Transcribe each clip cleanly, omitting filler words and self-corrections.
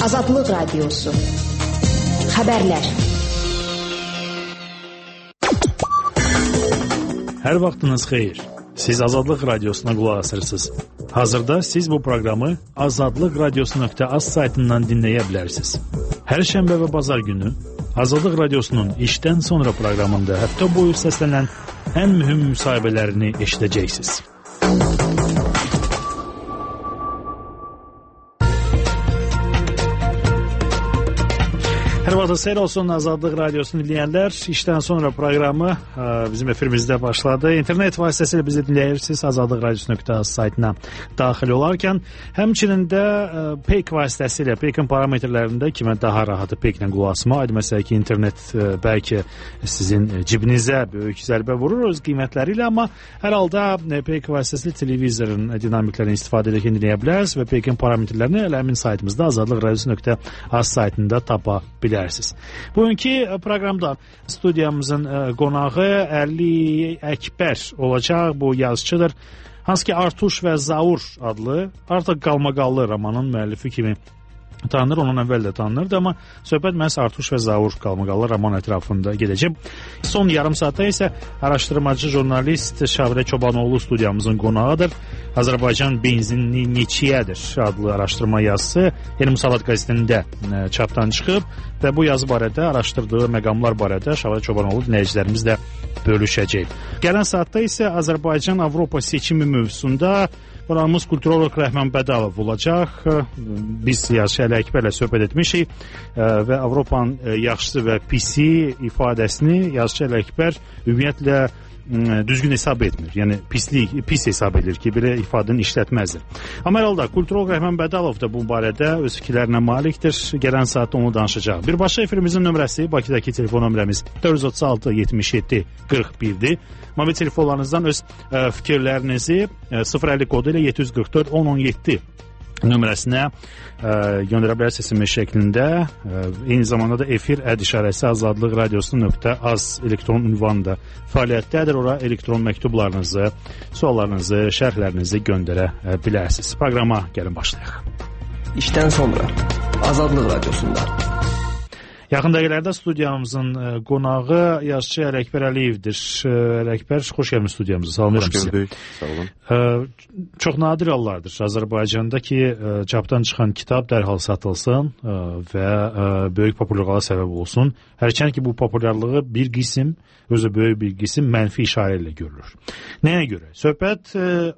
Azadlıq Radiosu. Xəbərlər. Hər vaxtınız xeyir. Siz Azadlıq Radiosuna qulaq asırsınız. Hazırda siz bu proqramı azadlıqradiosu.az saytından dinləyə bilərsiniz. Hər şənbə və bazar günü Azadlıq Radiosunun işdən sonra proqramında həftə boyu səslənən ən mühüm müsahibələrini eşidəcəksiniz. Hər vaxtınız xeyir olsun Azadlıq Radiosunu dinləyənlər. İşdən sonra proqramı bizim efirimizdə başladı. İnternet vasitəsilə bizi dinləyirsiniz. Azadlıqradiosu.az saytına daxil olarkən. Həmçinin də PEK vasitəsilə, PEK-in parametrlərində ki, mən daha rahatı PEK-lə qulaq asma. Aydın məsələ ki, internet bəlkə sizin cibinizə böyük zərbə vurur öz qiymətləri ilə, amma hər halda PEK vasitəsilə televizorun dinamiklərini istifadə edərkən dinləyə bilərsiniz və PEK-in parametrlərini elə həmin saytımızda azadlıqradiosu.az saytında tapa bilərsiniz. Bugünkü proqramda studiyamızın qonağı Əli Əkbər olacaq. Bu yazıçıdır. Hansı ki Artuş və Zaur adlı artıq qalmaqallı romanın müəllifi kimi tanınır, ondan əvvəl də tanınırdı, amma söhbət məhz Artuş və Zaur qalmaqallı roman ətrafında gedəcək. Son yarım saatda isə araşdırmacı jurnalist Şavrə Çobanoğlu studiyamızın qonağıdır. Azərbaycan benzinli neçiyədir adlı araşdırma yazısı Yeni Musavat qəzetində çapdan çıxıb və bu yazı barədə, araşdırdığı məqamlar barədə Şavrə Çobanoğlu dinləyicilərimizlə bölüşəcək. Gələn saatda isə Azərbaycan-Avropa seçimi mövzusunda Qonağımız kulturolog Rəhman Bədalov olacaq. Biz yazıçı Əli Əkbərlə söhbət etmişik və Avropanın yaxşısı və pisi ifadəsini yazıçı Əli Əkbər ümumiyyətlə düzgün hesab etmir. Yəni pis hesab edir ki, belə ifadəni işlətməzdir. Amma hər halda kulturolog Rəhman Bədalov da bu barədə öz fikirlərinə malikdir. Gələn saatda onu danışacaq. Birbaşa efirimizin nömrəsi, Bakıdakı telefon nömrəmiz 436 77 41-dir. Mobil telefonlarınızdan öz fikirlərinizi 050 kodu ilə 744 1017 nömrəsinə göndərə bilərsiniz SMS şəklində. Eyni zamanda da efir @işarəsi azadlıqradiosu.az elektron ünvanı da fəaliyyətdədir. Ora elektron məktublarınızı, suallarınızı, şərhlərinizi göndərə bilərsiniz. Proqrama gəlin başlayaq. İşdən sonra Azadlıq Radiosunda. Yaxın dəqiqələrdə studiyamızın qonağı yazıçı Əli Əkbər Əliyevdir. Əli Əkbər, xoş gəlmiş studiyamıza. Salamlayıram sizə. Xoş gördük. Sağ olun. Çox nadir hallardır Azərbaycanda ki, çapdan çıxan kitab dərhal satılsın və böyük populyarlığa səbəb olsun. Hərçənd ki, bu populyarlığı bir qism, özü böyük bir qism mənfi işarə ilə görülür. Nəyə görə? Söhbət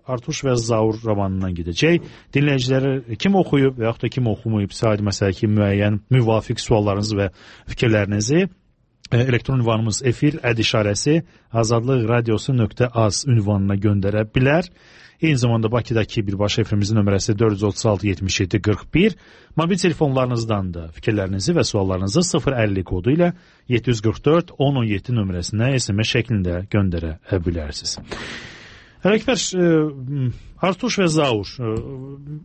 Artuş və Zaur romanından gedəcək. Dinləyiciləri kim oxuyub və yaxud da kim oxumayıb, sadə məsələ ki, müəyyən müvafiq suallarınız və fikirlərinizi elektron ünvanımız efir @işarəsi azadlıqradiosu.az ünvanına göndərə bilər. Eyni zamanda Bakıdakı birbaşa efirimizin nömrəsi 436 77 41. Mobil telefonlarınızdan da fikirlərinizi və suallarınızı 050 kodu ilə 744 1017 nömrəsinə SMS şəklində göndərə bilərsiniz. Əli Əkbər, Artuş və Zaur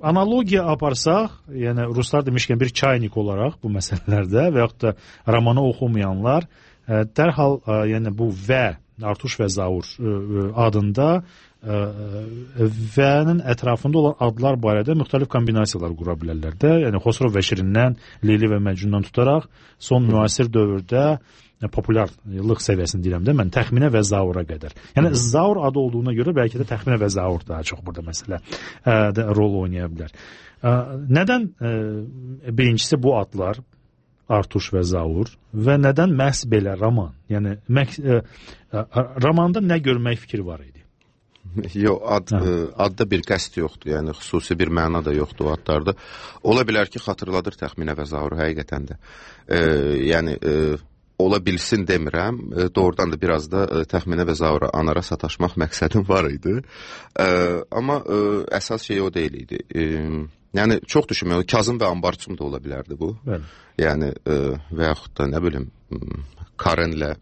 analogiya aparsaq, yəni ruslar demişkən bir çaynik olaraq bu məsələlərdə və yaxud da romanı oxumayanlar dərhal yəni bu və Artuş və Zaur adında və-nin ətrafında olan adlar barədə müxtəlif kombinasiyalar qura bilərlər də. Yəni Xosrov və Şirindən, Leyli və Məcnundan tutaraq son müasir dövrdə populyarlıq səviyyəsini deyirəm də mən təxminə və Zaura qədər. Yəni Zaur adı olduğuna görə bəlkə də təxminə və Zaur daha çox burada məsələ rol oynaya bilər. Nədən birincisi bu adlar Artuş və Zaur və nədən məhz belə roman? Yəni romanda nə görmək fikri var idi? Yox, adda bir qəsd yoxdur, yəni xüsusi bir məna da yoxdur o adlarda. Ola bilər ki, xatırladır təxminə və Zauru həqiqətən də. Yəni ola bilsin demirəm, doğrudan da biraz da təxminə və Zaura anara sataşmaq məqsədim var idi. Amma əsas şey o deyil idi. Yəni çox düşünmək, Kazım və Ambarçım da ola bilərdi bu. Bəli. Yəni və yaxud da nə bilim Karenlə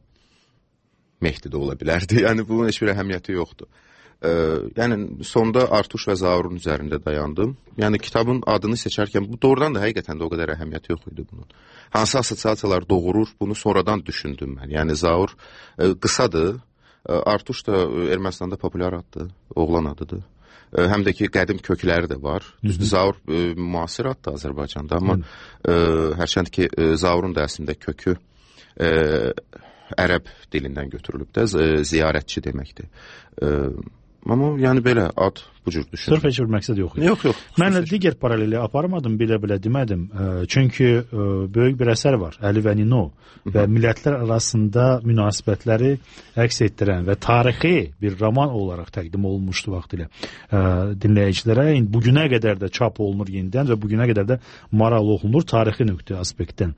Mehdi də ola bilərdi. Yəni bunun heç bir əhəmiyyəti yoxdur. Yəni sonda Artuş və Zaurun üzərində dayandım. Yəni kitabın adını seçərkən bu doğrudan da həqiqətən də o qədər əhəmiyyəti yox idi bunun. Hansı assosiasiyalar doğurur, bunu sonradan düşündüm mən. Yəni Zaur qısadır, Artuş da Ermənistanda populyar addır, oğlan adıdır. həm də ki, qədim kökləri də var. Düzdür, Zaur müasir addır Azərbaycanda, amma hərçənd ki, Zaurun da əslində kökü ərəb dilindən götürülüb də, ziyarətçi deməkdir. Amma yəni belə ad bu cür düşünür. Sırf heç bir məqsəd yox. Yox. Mən digər paraleli aparmadım, belə demədim. Çünki böyük bir əsər var, Əli və Nino və millətlər arasında münasibətləri əks etdirən və tarixi bir roman olaraq təqdim olunmuşdu vaxtilə dinləyicilərə. Bugünə qədər də çap olunur yenidən və bugünə qədər də maraqlı oxunur tarixi nöqtə aspektdən.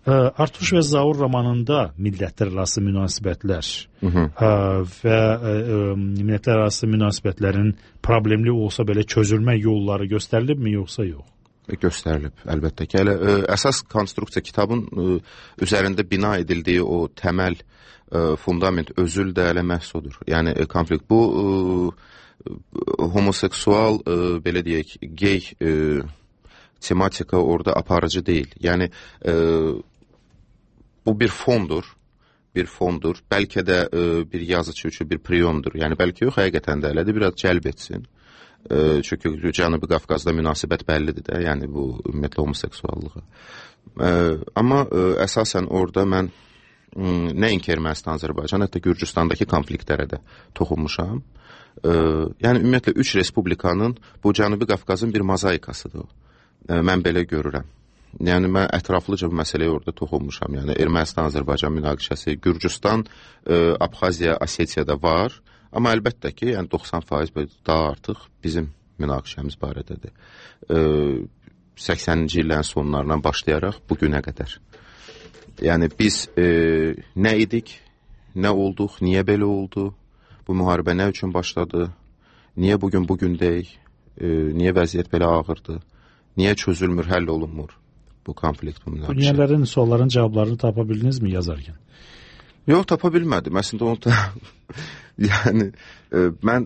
Artuş və Zaur romanında millətlər arası münasibətlər və millətlər arası münasibətlərin problemli olsa belə çözülmə yolları göstərilibmi, yoxsa yox? Göstərilib, əlbəttə ki. Hələ əsas konstruksiya kitabın üzərində bina edildiyi o təməl fundament özül də hələ məhz odur. Yəni konflikt bu homoseksual, belə deyək, gey tematika orada aparıcı deyil. Yəni bu bir fondur. Bəlkə də bir yazıcı üçün bir priyomdur. Yəni bəlkə yox, həqiqətən də elədir, biraz cəlb etsin. Çünki Cənubi Qafqazda münasibət bəllidir də, yəni bu ümumiyyətlə homoseksuallığa. Amma əsasən orada mən nəinki Ermənistan, Azərbaycan, hətta Gürcüstandakı konfliktlərə də toxunmuşam. Yəni ümumiyyətlə 3 respublikanın bu Cənubi Qafqazın bir mozaikasıdır. Mən belə görürəm. Yəni mən ətraflıca bu məsələyə orada toxunmuşam. Yəni Ermənistan-Azərbaycan münaqişəsi, Gürcüstan, Abxaziya, Osetiyada var. Amma əlbəttə ki, yəni 90% daha artıq bizim münaqişəmiz barədədir. 80-ci illərin sonlarından başlayaraq bugünə qədər. Yəni biz nə idik, nə olduq, niyə belə oldu, bu müharibə nə üçün başladı, niyə bugündəyik, niyə vəziyyət belə ağırdır, niyə çözülmür, həll olunmur bu konflikt, bu münaqişə. Dünyələrin sualların cavablarını tapa bildinizmi yazarkən? Yox, tapa bilmədim. Əslində onu da yəni mən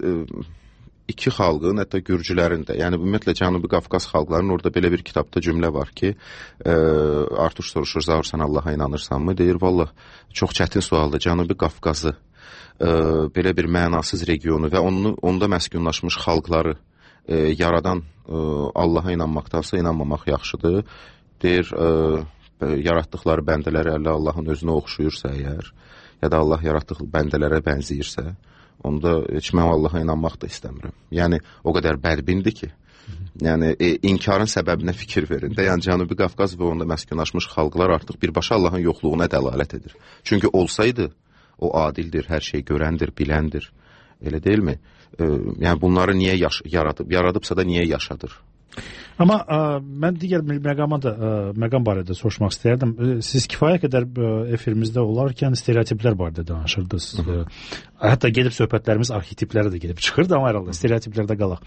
iki xalqın, hətta gürcülərin də, yəni ümumiyyətlə Cənubi Qafqaz xalqlarının orada belə bir kitabda cümlə var ki, Artuş soruşur, Zaur, sən Allaha inanırsanmı? Deyir, vallah, çox çətin sualdır. Cənubi Qafqazı, belə bir mənasız regionu və onda məskunlaşmış xalqları yaradan Allaha inanmaqdansa inanmamaq yaxşıdır. Deyir, yaratdıqları bəndələri Allahın özünə oxşuyursa əgər, ya da Allah yaratdığı bəndələrə bənzəyirsə, onda heç mən Allaha inanmaq da istəmirəm. Yəni, o qədər bədbindir ki, yəni, inkarın səbəbinə fikir verin də, yəni Cənubi Qafqaz və onda məskunlaşmış xalqlar artıq birbaşa Allahın yoxluğuna dəlalət edir. Çünki olsaydı, o adildir, hər şey görəndir, biləndir, elə deyilmi? Yəni, bunları niyə yaradıbsa da niyə yaşadır? Amma mən digər məqam barədə soruşmaq istəyərdim. Siz kifayət qədər efirimizdə olarkən stereotiplər barədə danışırdınız. Hətta gedib söhbətlərimiz arxetiplərə də gedib çıxırdı, amma herhalde stereotiplərdə qalaq.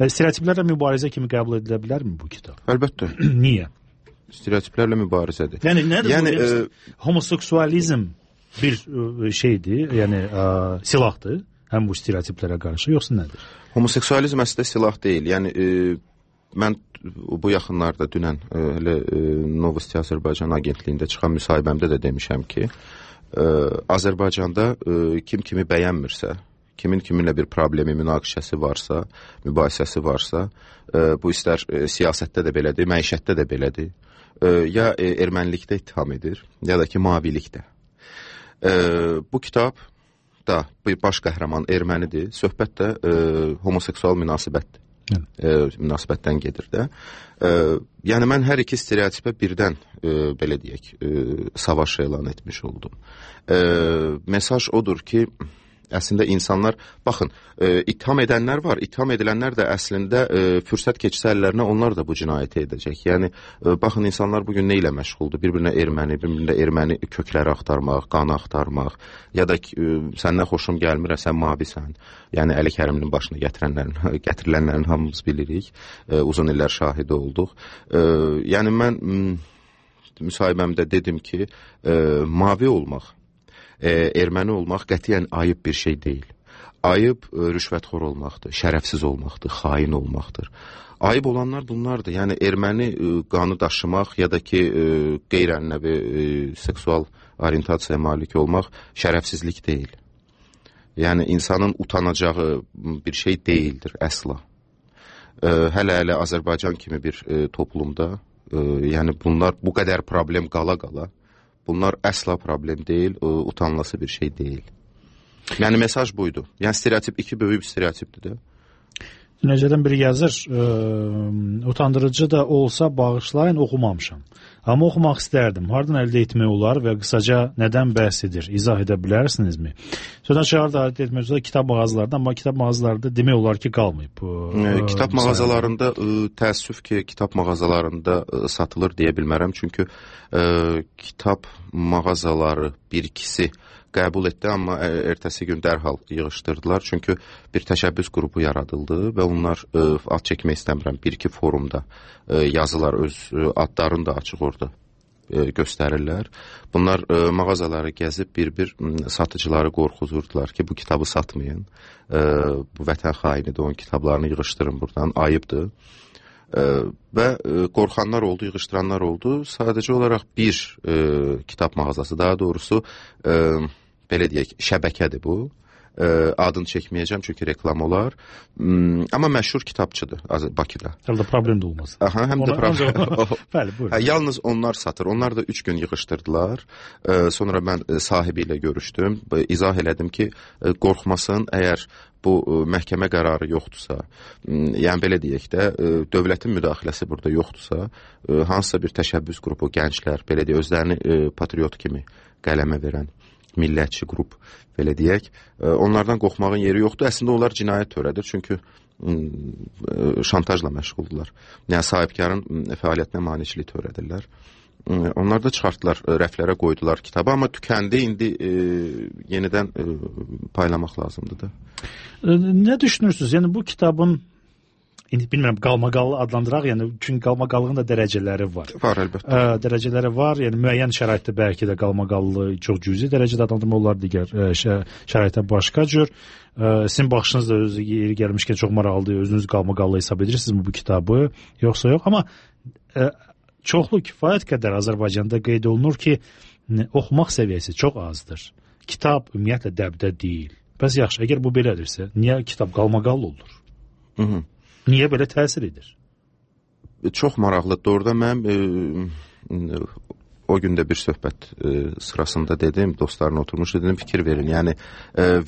Stereotiplərlə mübarizə kimi qəbul edilə bilərmi bu kitab? Əlbəttə. Niyə? Stereotiplərlə mübarizədir. Yəni nədir bu? Homoseksualizm bir şeydir, yəni silahdır, həm bu stereotiplərə qarşı, yoxsa nədir? Homoseksualizm əslində silah deyil. Yəni mən bu yaxınlarda dünən Novosti Azərbaycan agentliyində çıxan müsahibəmdə də demişəm ki, Azərbaycanda kim kimi bəyənmirsə, kimin kiminlə bir problemi, münaqişəsi varsa, mübahisəsi varsa, bu istər siyasətdə də belədir, məişətdə də belədir, ya ermənilikdə ittiham edir, ya da ki mavilikdə. Bu kitab da baş qəhrəman ermənidir, söhbət də homoseksual münasibətdən gedir də. Yəni mən hər iki stereotipə birdən belə deyək, savaş elan etmiş oldum. Mesaj odur ki, əslində insanlar, baxın, ittiham edənlər var, ittiham edilənlər də əslində fürsət keçsə əllərinə onlar da bu cinayəti edəcək. Yəni, baxın, insanlar bugün nə ilə məşğuldur? Bir-birinə erməni kökləri axtarmaq, qanı axtarmaq, ya da səndən xoşum gəlmir, sən mavisən. Yəni, Əli Kərimlinin başına gətirilənlərin hamımız bilirik, uzun illər şahidi olduq. Yəni, mən müsahibəmdə dedim ki, mavi olmaq, erməni olmaq qətiyyən ayıb bir şey deyil. Ayıb rüşvətxor olmaqdır, şərəfsiz olmaqdır, xain olmaqdır. Ayıb olanlar bunlardır. Yəni erməni qanı daşımaq ya da ki qeyri-ənənəvi seksual orientasiyaya malik olmaq şərəfsizlik deyil. Yəni insanın utanacağı bir şey deyildir əsla. Hələ Azərbaycan kimi bir toplumda, yəni bunlar bu qədər problem qala-qala, bunlar əsla problem deyil, utanılası bir şey deyil. Yəni mesaj buydu. Yəni stereotip 2 böyük bir stereotipdir də. Necədən biri yazır, utandırıcı da olsa bağışlayın, oxumamışam. Amma oxumaq istərdim. Hardan əldə etmək olar və qısaca nədən bəhs edir? İzah edə bilərsinizmi? Sözdən çıxar da əldə etmək üzrə kitab mağazalarında, amma kitab mağazalarında demək olar ki, qalmayıb. Kitab mağazalarında, təəssüf ki, kitab mağazalarında satılır deyə bilmərəm. Çünki kitab mağazaları bir-ikisi qəbul etdi, amma ertəsi gün dərhal yığışdırdılar. Çünki bir təşəbbüs qrupu yaradıldı və onlar ad çəkmək istəmirəm. Bir-iki forumda yazılar, öz adlarını da açıq orada göstərirlər. Bunlar mağazaları gəzib bir-bir satıcıları qorxuzurdular ki, bu kitabı satmayın. Bu vətən xainidir, onun kitablarını yığışdırın buradan, ayıbdır. Və qorxanlar oldu, yığışdıranlar oldu. Sadəcə olaraq bir kitab mağazası, daha doğrusu belə deyək, şəbəkədir bu. Adını çəkməyəcəm çünki reklam olar. Amma məşhur kitabçıdır Bakıda. Hələ də problem də olmaz. Aha, həm də problem. Bəli, buyurun. Yalnız onlar satır. Onlar da 3 gün yığışdırdılar. Sonra mən sahibi ilə görüşdüm. İzah elədim ki, qorxmasın, əgər bu məhkəmə qərarı yoxdursa, yəni belə deyək də, dövlətin müdaxiləsi burada yoxdursa, hansısa bir təşəbbüs qrupu, gənclər, belə deyək, özlərini patriot kimi qələmə verən millətçi qrup, belə deyək, onlardan qorxmağın yeri yoxdur. Əslində onlar cinayət törədir, çünki şantajla məşğuldurlar. Yəni sahibkarın fəaliyyətinə maneçilik törədirlər. Onlar da çıxartdılar, rəflərə qoydular kitabı, amma tükəndi, indi yenidən paylamaq lazımdır da. Nə düşünürsünüz? Yəni bu kitabın, indi bilmirəm, qalmaqallı adlandıraq, yəni çünki qalmaqallığın da dərəcələri var. Var, əlbəttə. Dərəcələri var, yəni müəyyən şəraitdə bəlkə də qalmaqallı çox cüzi dərəcədə adlandırma olar, digər şəraitdə başqa cür. Sizin baxışınız da özü yeri gəlmişkən çox maraqlıdır, özünüz qalmaqallı hesab edirsinizmi bu kitabı, yoxsa yox? Amma çoxlu kifayət qədər Azərbaycanda qeyd olunur ki, oxumaq səviyyəsi çox azdır. Kitab ümumiyyətlə dəbdə deyil. Bəs yaxşı, əgər bu belədirsə, niyə kitab qalmaqallı olur? Niyə belə təsir edir? Çox maraqlıdır. Orada mən o gün də bir söhbət sırasında dedim, dostlarına oturmuşdu, dedim fikir verin. Yəni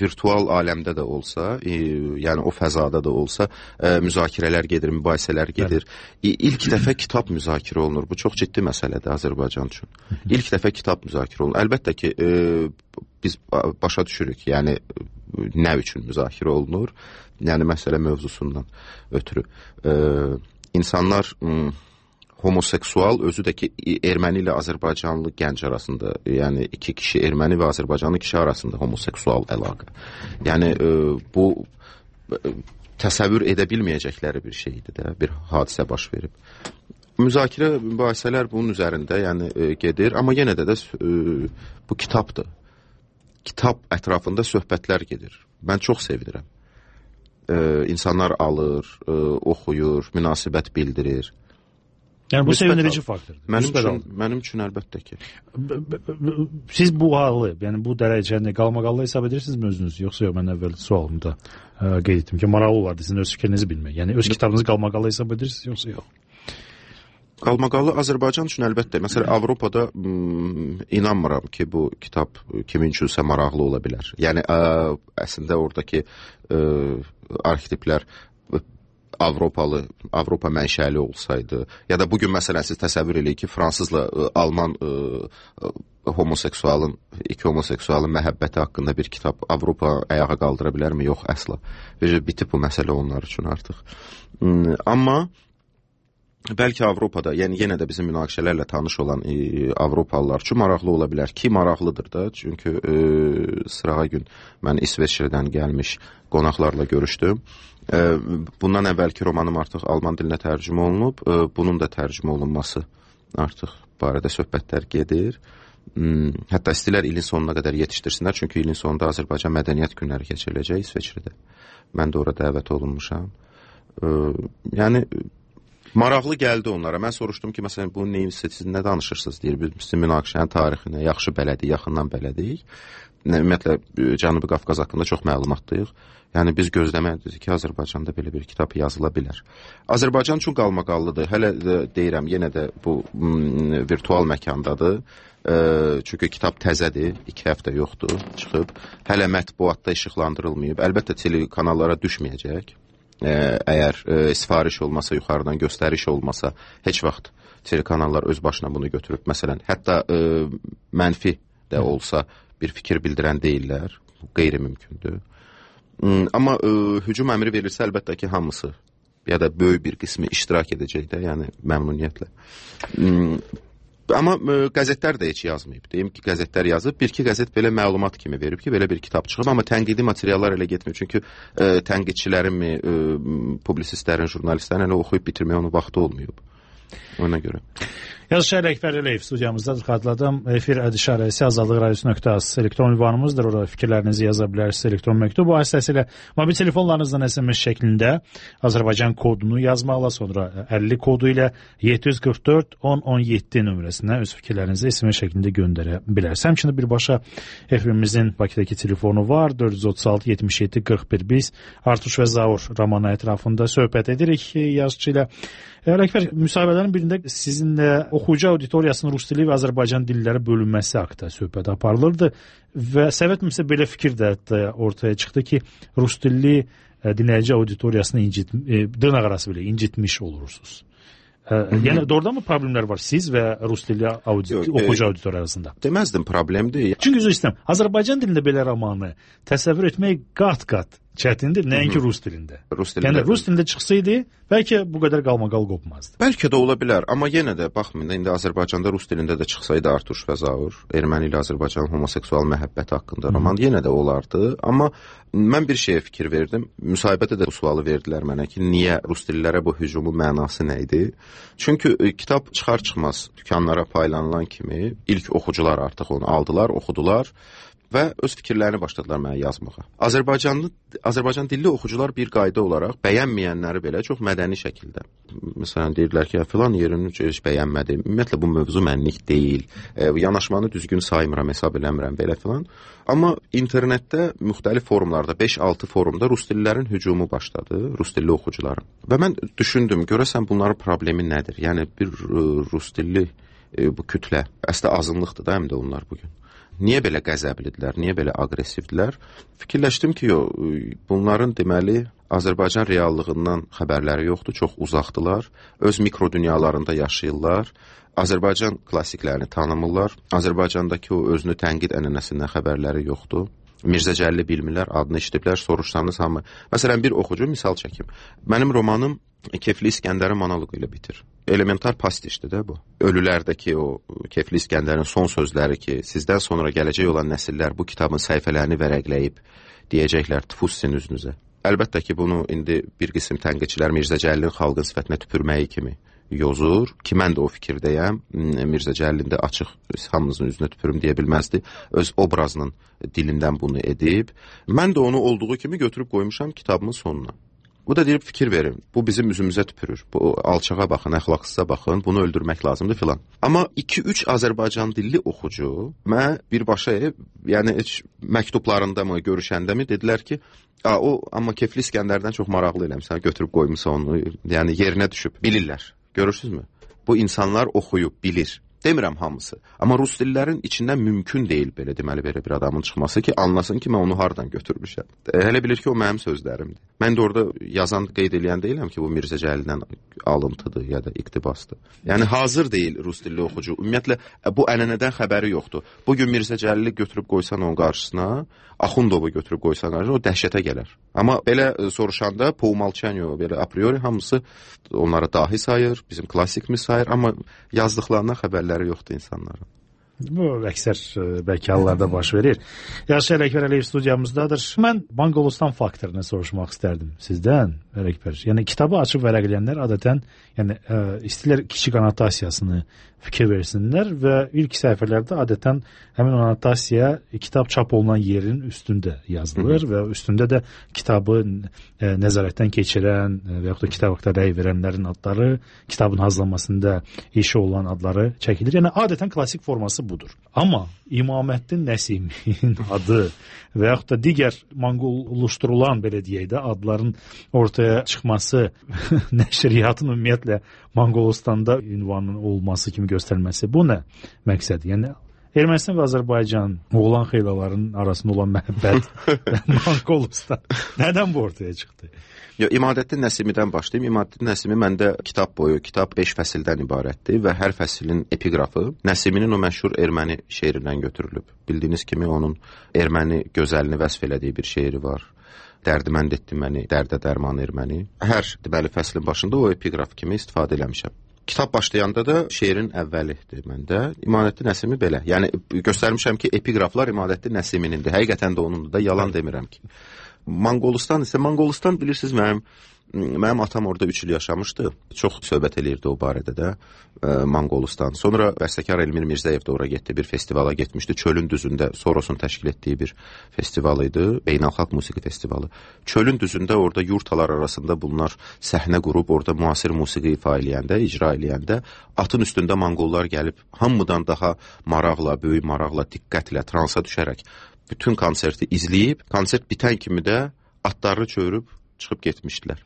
virtual aləmdə də olsa, yəni o fəzada da olsa müzakirələr gedir, mübahisələr gedir. İlk dəfə kitab müzakirə olunur. Bu çox ciddi məsələdir Azərbaycan üçün. İlk dəfə kitab müzakirə olunur. Əlbəttə ki, biz başa düşürük, yəni nə üçün müzakirə olunur? Yəni məsələ mövzusundan ötürü. İnsanlar homoseksual, özü də ki, erməni ilə Azərbaycanlı gənc arasında, yəni iki kişi, erməni və Azərbaycanlı kişi arasında homoseksual əlaqə. Yəni bu təsəvvür edə bilməyəcəkləri bir şeydir də, bir hadisə baş verib. Müzakirə, mübahisələr bunun üzərində yəni gedir, amma yenə də bu kitabdır. Kitab ətrafında söhbətlər gedir. Mən çox sevinirəm. İnsanlar alır, oxuyur, münasibət bildirir. Yəni bu sevindirici faktordur. Mənim üçün əlbəttə ki. Siz bu halı, yəni bu dərəcəni qalmaqallı hesab edirsinizmi özünüz? Yoxsa yox, mən əvvəl sualımda qeyd etdim ki, maraqlı olardı sizin öz fikrinizi bilmək. Yəni öz kitabınızı qalmaqallı hesab edirsiniz, yoxsa yox? Qalmaqallı Azərbaycan üçün əlbəttə. Məsələn, Avropada inanmıram ki, bu kitab kimin üçünsə maraqlı ola bilər. Yəni, əslində oradakı arxetiplər Avropa mənşəli olsaydı, ya da bugün məsələn siz təsəvvür eləyin ki, fransızla alman iki homoseksualın məhəbbəti haqqında bir kitab Avropa ayağa qaldıra bilərmi? Yox, əsla. Bitib bu məsələ onlar üçün artıq. Amma bəlkə Avropada, yəni yenə də bizim münaqişələrlə tanış olan Avropalılar üçün maraqlı ola bilər ki, maraqlıdır da. Çünki sırağa gün mən İsveçrədən gəlmiş qonaqlarla görüşdüm. Bundan əvvəlki romanım artıq alman dilinə tərcümə olunub. Bunun da tərcümə olunması artıq barədə söhbətlər gedir. Hətta istəyirlər ilin sonuna qədər yetişdirsinlər. Çünki ilin sonunda Azərbaycan mədəniyyət günləri keçiriləcək İsveçrədə. Mən də ora dəvət olunmuşam. Yəni Maraqlı gəldi onlara. Mən soruşdum ki, məsələn, bu neyin siz nə danışırsınız deyir. Biz münaqişənin tarixinə yaxşı bələdik, yaxından bələdik. Ümumiyyətlə Cənubi Qafqaz haqqında çox məlumatlıyıq. Yəni biz gözləməliyik ki, Azərbaycanda belə bir kitab yazıla bilər. Azərbaycan üçün qalmaqallıdır. Hələ də deyirəm, yenə də bu virtual məkandadır. Çünki kitab təzədir, 2 həftə yoxdur, çıxıb. Hələ mətbuatda işıqlandırılmayıb. Əlbəttə telekanallara düşməyəcək. Əgər sifariş olmasa, yuxarıdan göstəriş olmasa, heç vaxt telekanallar öz başına bunu götürüb. Məsələn, hətta mənfi də olsa bir fikir bildirən deyirlər. Bu qeyri-mümkündür. Amma hücum əmri verilsə, əlbəttə ki, hamısı ya da böyük bir qismi iştirak edəcək də, yəni məmnuniyyətlə. Amma qəzetlər də heç yazmayıb. Deyim ki, qəzetlər yazıb. Bir-iki qəzet belə məlumat kimi verib ki, belə bir kitab çıxıb. Amma tənqidi materiallar elə getmir. Çünki tənqidçilərin, publisistlərin, jurnalistlərin elə oxuyub bitirməyə onun vaxtı olmayıb. Ona görə. Yazıçı Əkbər Əliyev studiyamızdadır. Xatırladım. Efir işarəsi azadlıqradiosu.az elektron ünvanımızdır. Orada fikirlərinizi yaza bilərsiniz. Elektron məktub vasitəsilə mobil telefonlarınızdan SMS şəklində Azərbaycan kodunu yazmaqla, sonra 50 kodu ilə 744 1017 nömrəsinə öz fikirlərinizi SMS şəklində göndərə bilərsiniz. Həmçinin birbaşa efirimizin Bakıdakı telefonu var. 436 77 41. Biz Artuş və Zaur romanı ətrafında söhbət edirik yazıçı ilə. Əkbər, müsahibələrin birində sizinlə oxuyucu auditoriyasının rus dili və Azərbaycan dilləri bölünməsi haqqında söhbət aparılırdı və səbəbimsə belə fikir də ortaya çıxdı ki, rus dilli dinləyici auditoriyasını dırnaqarası belə incitmiş olursunuz. Yəni doğrudan mı problemlər var siz və rus dilli oxuyucu auditoriya arasında? Deməzdim problemdir. Çünki üzr istəyirəm, Azərbaycan dilində belə romanı təsəvvür etmək qat-qat çətindir, nəinki rus dilində. Yəni rus dilində çıxsaydı, bəlkə bu qədər qalmaqal qopmazdı. Bəlkə də ola bilər, amma yenə də baxmayın, indi Azərbaycanda rus dilində də çıxsaydı Artuş və Zaur, erməni ilə Azərbaycanın homoseksual məhəbbəti haqqında roman yenə də olardı. Amma mən bir şeyə fikir verdim. Müsahibədə də bu sualı verdilər mənə ki, niyə rus dillərə bu hücumun mənası nə idi? Çünki kitab çıxar-çıxmaz dükanlara paylanılan kimi ilk oxucular artıq onu aldılar, oxudular və öz fikirlərini başladılar mənə yazmağa. Azərbaycan dilli oxucular bir qayda olaraq bəyənməyənləri belə çox mədəni şəkildə. Məsələn, deyirlər ki, filan yerini heç bəyənmədim. Ümumiyyətlə, bu mövzu mənlik deyil. Yanaşmanı düzgün saymıram, hesab eləmirəm belə filan. Amma internetdə müxtəlif forumlarda, 5-6 forumda rus dillilərin hücumu başladı, rus dilli oxucuların. Və mən düşündüm, görəsən bunların problemi nədir? Yəni, bir rus dilli bu kütlə, əslində azınlıqdır da həm də onlar bugün. Niyə belə qəzəblidirlər, niyə belə aqressivdirlər? Fikirləşdim ki, bunların deməli Azərbaycan reallığından xəbərləri yoxdur, çox uzaqdılar, öz mikro dünyalarında yaşayırlar, Azərbaycan klassiklərini tanımırlar, Azərbaycandakı o özünü tənqid ənənəsindən xəbərləri yoxdur. Mirzə Cəlili bilmirlər, adını eşidiblər, soruşsanız hamı. Məsələn, bir oxucu misal çəkim. Mənim romanım Kefli İskəndərin monoloqu ilə bitir. Elementar pastişdir də bu. Ölülərdəki o Kefli İskəndərin son sözləri ki, sizdən sonra gələcək olan nəsillər bu kitabın səhifələrini vərəqləyib deyəcəklər, tüfus sizin üzünüzə. Əlbəttə ki, bunu indi bir qism tənqidçilər Mirzə Cəlilin xalqın sifətinə tüpürməyi kimi yozur ki, mən də o fikirdəyəm. Mirzə Cəlilin də açıq hamınızın üzünə tüpürüm deyə bilməzdi. Öz obrazının dilindən bunu edib. Mən də onu olduğu kimi götürüb qoymuşam kitabımın sonuna. Bu da deyib fikir verin, bu bizim üzümüzə tüpürür. Bu alçağa baxın, əxlaqsıza baxın, bunu öldürmək lazımdır filan. Amma 2-3 Azərbaycan dilli oxucu mənə birbaşa, yəni heç məktublarında mı, görüşəndə mi dedilər ki, o amma Kefli İskəndərdən çox maraqlı eləmsən, götürüb qoymusan onu, yəni yerinə düşüb, bilirlər. Görürsünüzmü? Bu insanlar oxuyub, bilir. Demirəm hamısı. Amma rus dillərin içindən mümkün deyil belə deməli belə bir adamın çıxması ki, anlasın ki, mən onu hardan götürmüşəm. Hələ bilir ki, o mənim sözlərimdir. Mən də orada yazan, qeyd eləyən deyiləm ki, bu Mirzə Cəlildən alıntıdır ya da iqtibasdır. Yəni hazır deyil rus dilli oxucu. Ümumiyyətlə bu ənənədən xəbəri yoxdur. Bugün Mirzə Cəlili götürüb qoysan onun qarşısına, Axundovu götürüb qoysan qarşısına, o dəhşətə gələr. Amma belə soruşanda po umolçanию, belə a priori hamısı onları dahi sayır, bizim klassikimiz sayır, amma yazdıqlarından xəbərləri yoxdur insanların. Bu əksər bəlkə hallarda baş verir. Yaşar Ələkbər Əliyev studiyamızdadır. Mən Monqolistan faktorunu soruşmaq istərdim sizdən, Ələkbər. Yəni kitabı açıb vərəqləyənlər adətən istəyirlər kiçik annotasiyasını fikir versinlər və ilk səhifələrdə adətən həmin annotasiya kitab çap olunan yerin üstündə yazılır və üstündə də kitabı nəzarətdən keçirən və yaxud da kitab haqqında rəy verənlərin adları, kitabın hazırlanmasında işi olan adları çəkilir. Yəni adətən klassik forması budur. Amma İmaməddin Nəsimin adı və yaxud da digər monqollaşdırılan belə deyək də adların ortaya çıxması, nəşriyyatın ümumiyyətlə Monqolistanda ünvanının olması kimi göstərməsi, bu nə məqsədi? Yəni Ermənistan və Azərbaycan oğlan xeylaların arasında olan məhəbbət və Monqolistan nədən bu ortaya çıxdı? İmadəddin Nəsimidən başlayayım. İmadəddin Nəsimi məndə kitab 5 fəsildən ibarətdir və hər fəsilin epiqrafı Nəsiminin o məşhur erməni şeirindən götürülüb. Bildiyiniz kimi onun erməni gözəlini vəsf elədiyi bir şeiri var. Dərdimənd etdi məni, dərdə dərman erməni. Hər deməli fəslin başında o epiqraf kimi istifadə eləmişəm. Kitab başlayanda da şeirin əvvəlidir məndə. İmadəddin Nəsimi belə. Yəni göstərmişəm ki, epiqraflar İmadəddin Nəsiminindir. Həqiqətən də onundur da, yalan demirəm ki. Monqolistan bilirsiniz, mənim atam orada 3 il yaşamışdı. Çox söhbət eləyirdi o barədə də Monqolistan. Sonra bəstəkar Elmir Mirzəyev də ora getdi, bir festivala getmişdi. Çölün düzündə Sorosun təşkil etdiyi bir festival idi, beynəlxalq musiqi festivalı. Çölün düzündə orada yurtalar arasında bunlar səhnə qurub, orada müasir musiqi icra eləyəndə atın üstündə monqollar gəlib hamıdan daha maraqla, böyük maraqla, diqqətlə, transa düşərək bütün konserti izləyib, konsert bitən kimi də atlarını çövürüb çıxıb getmişdilər.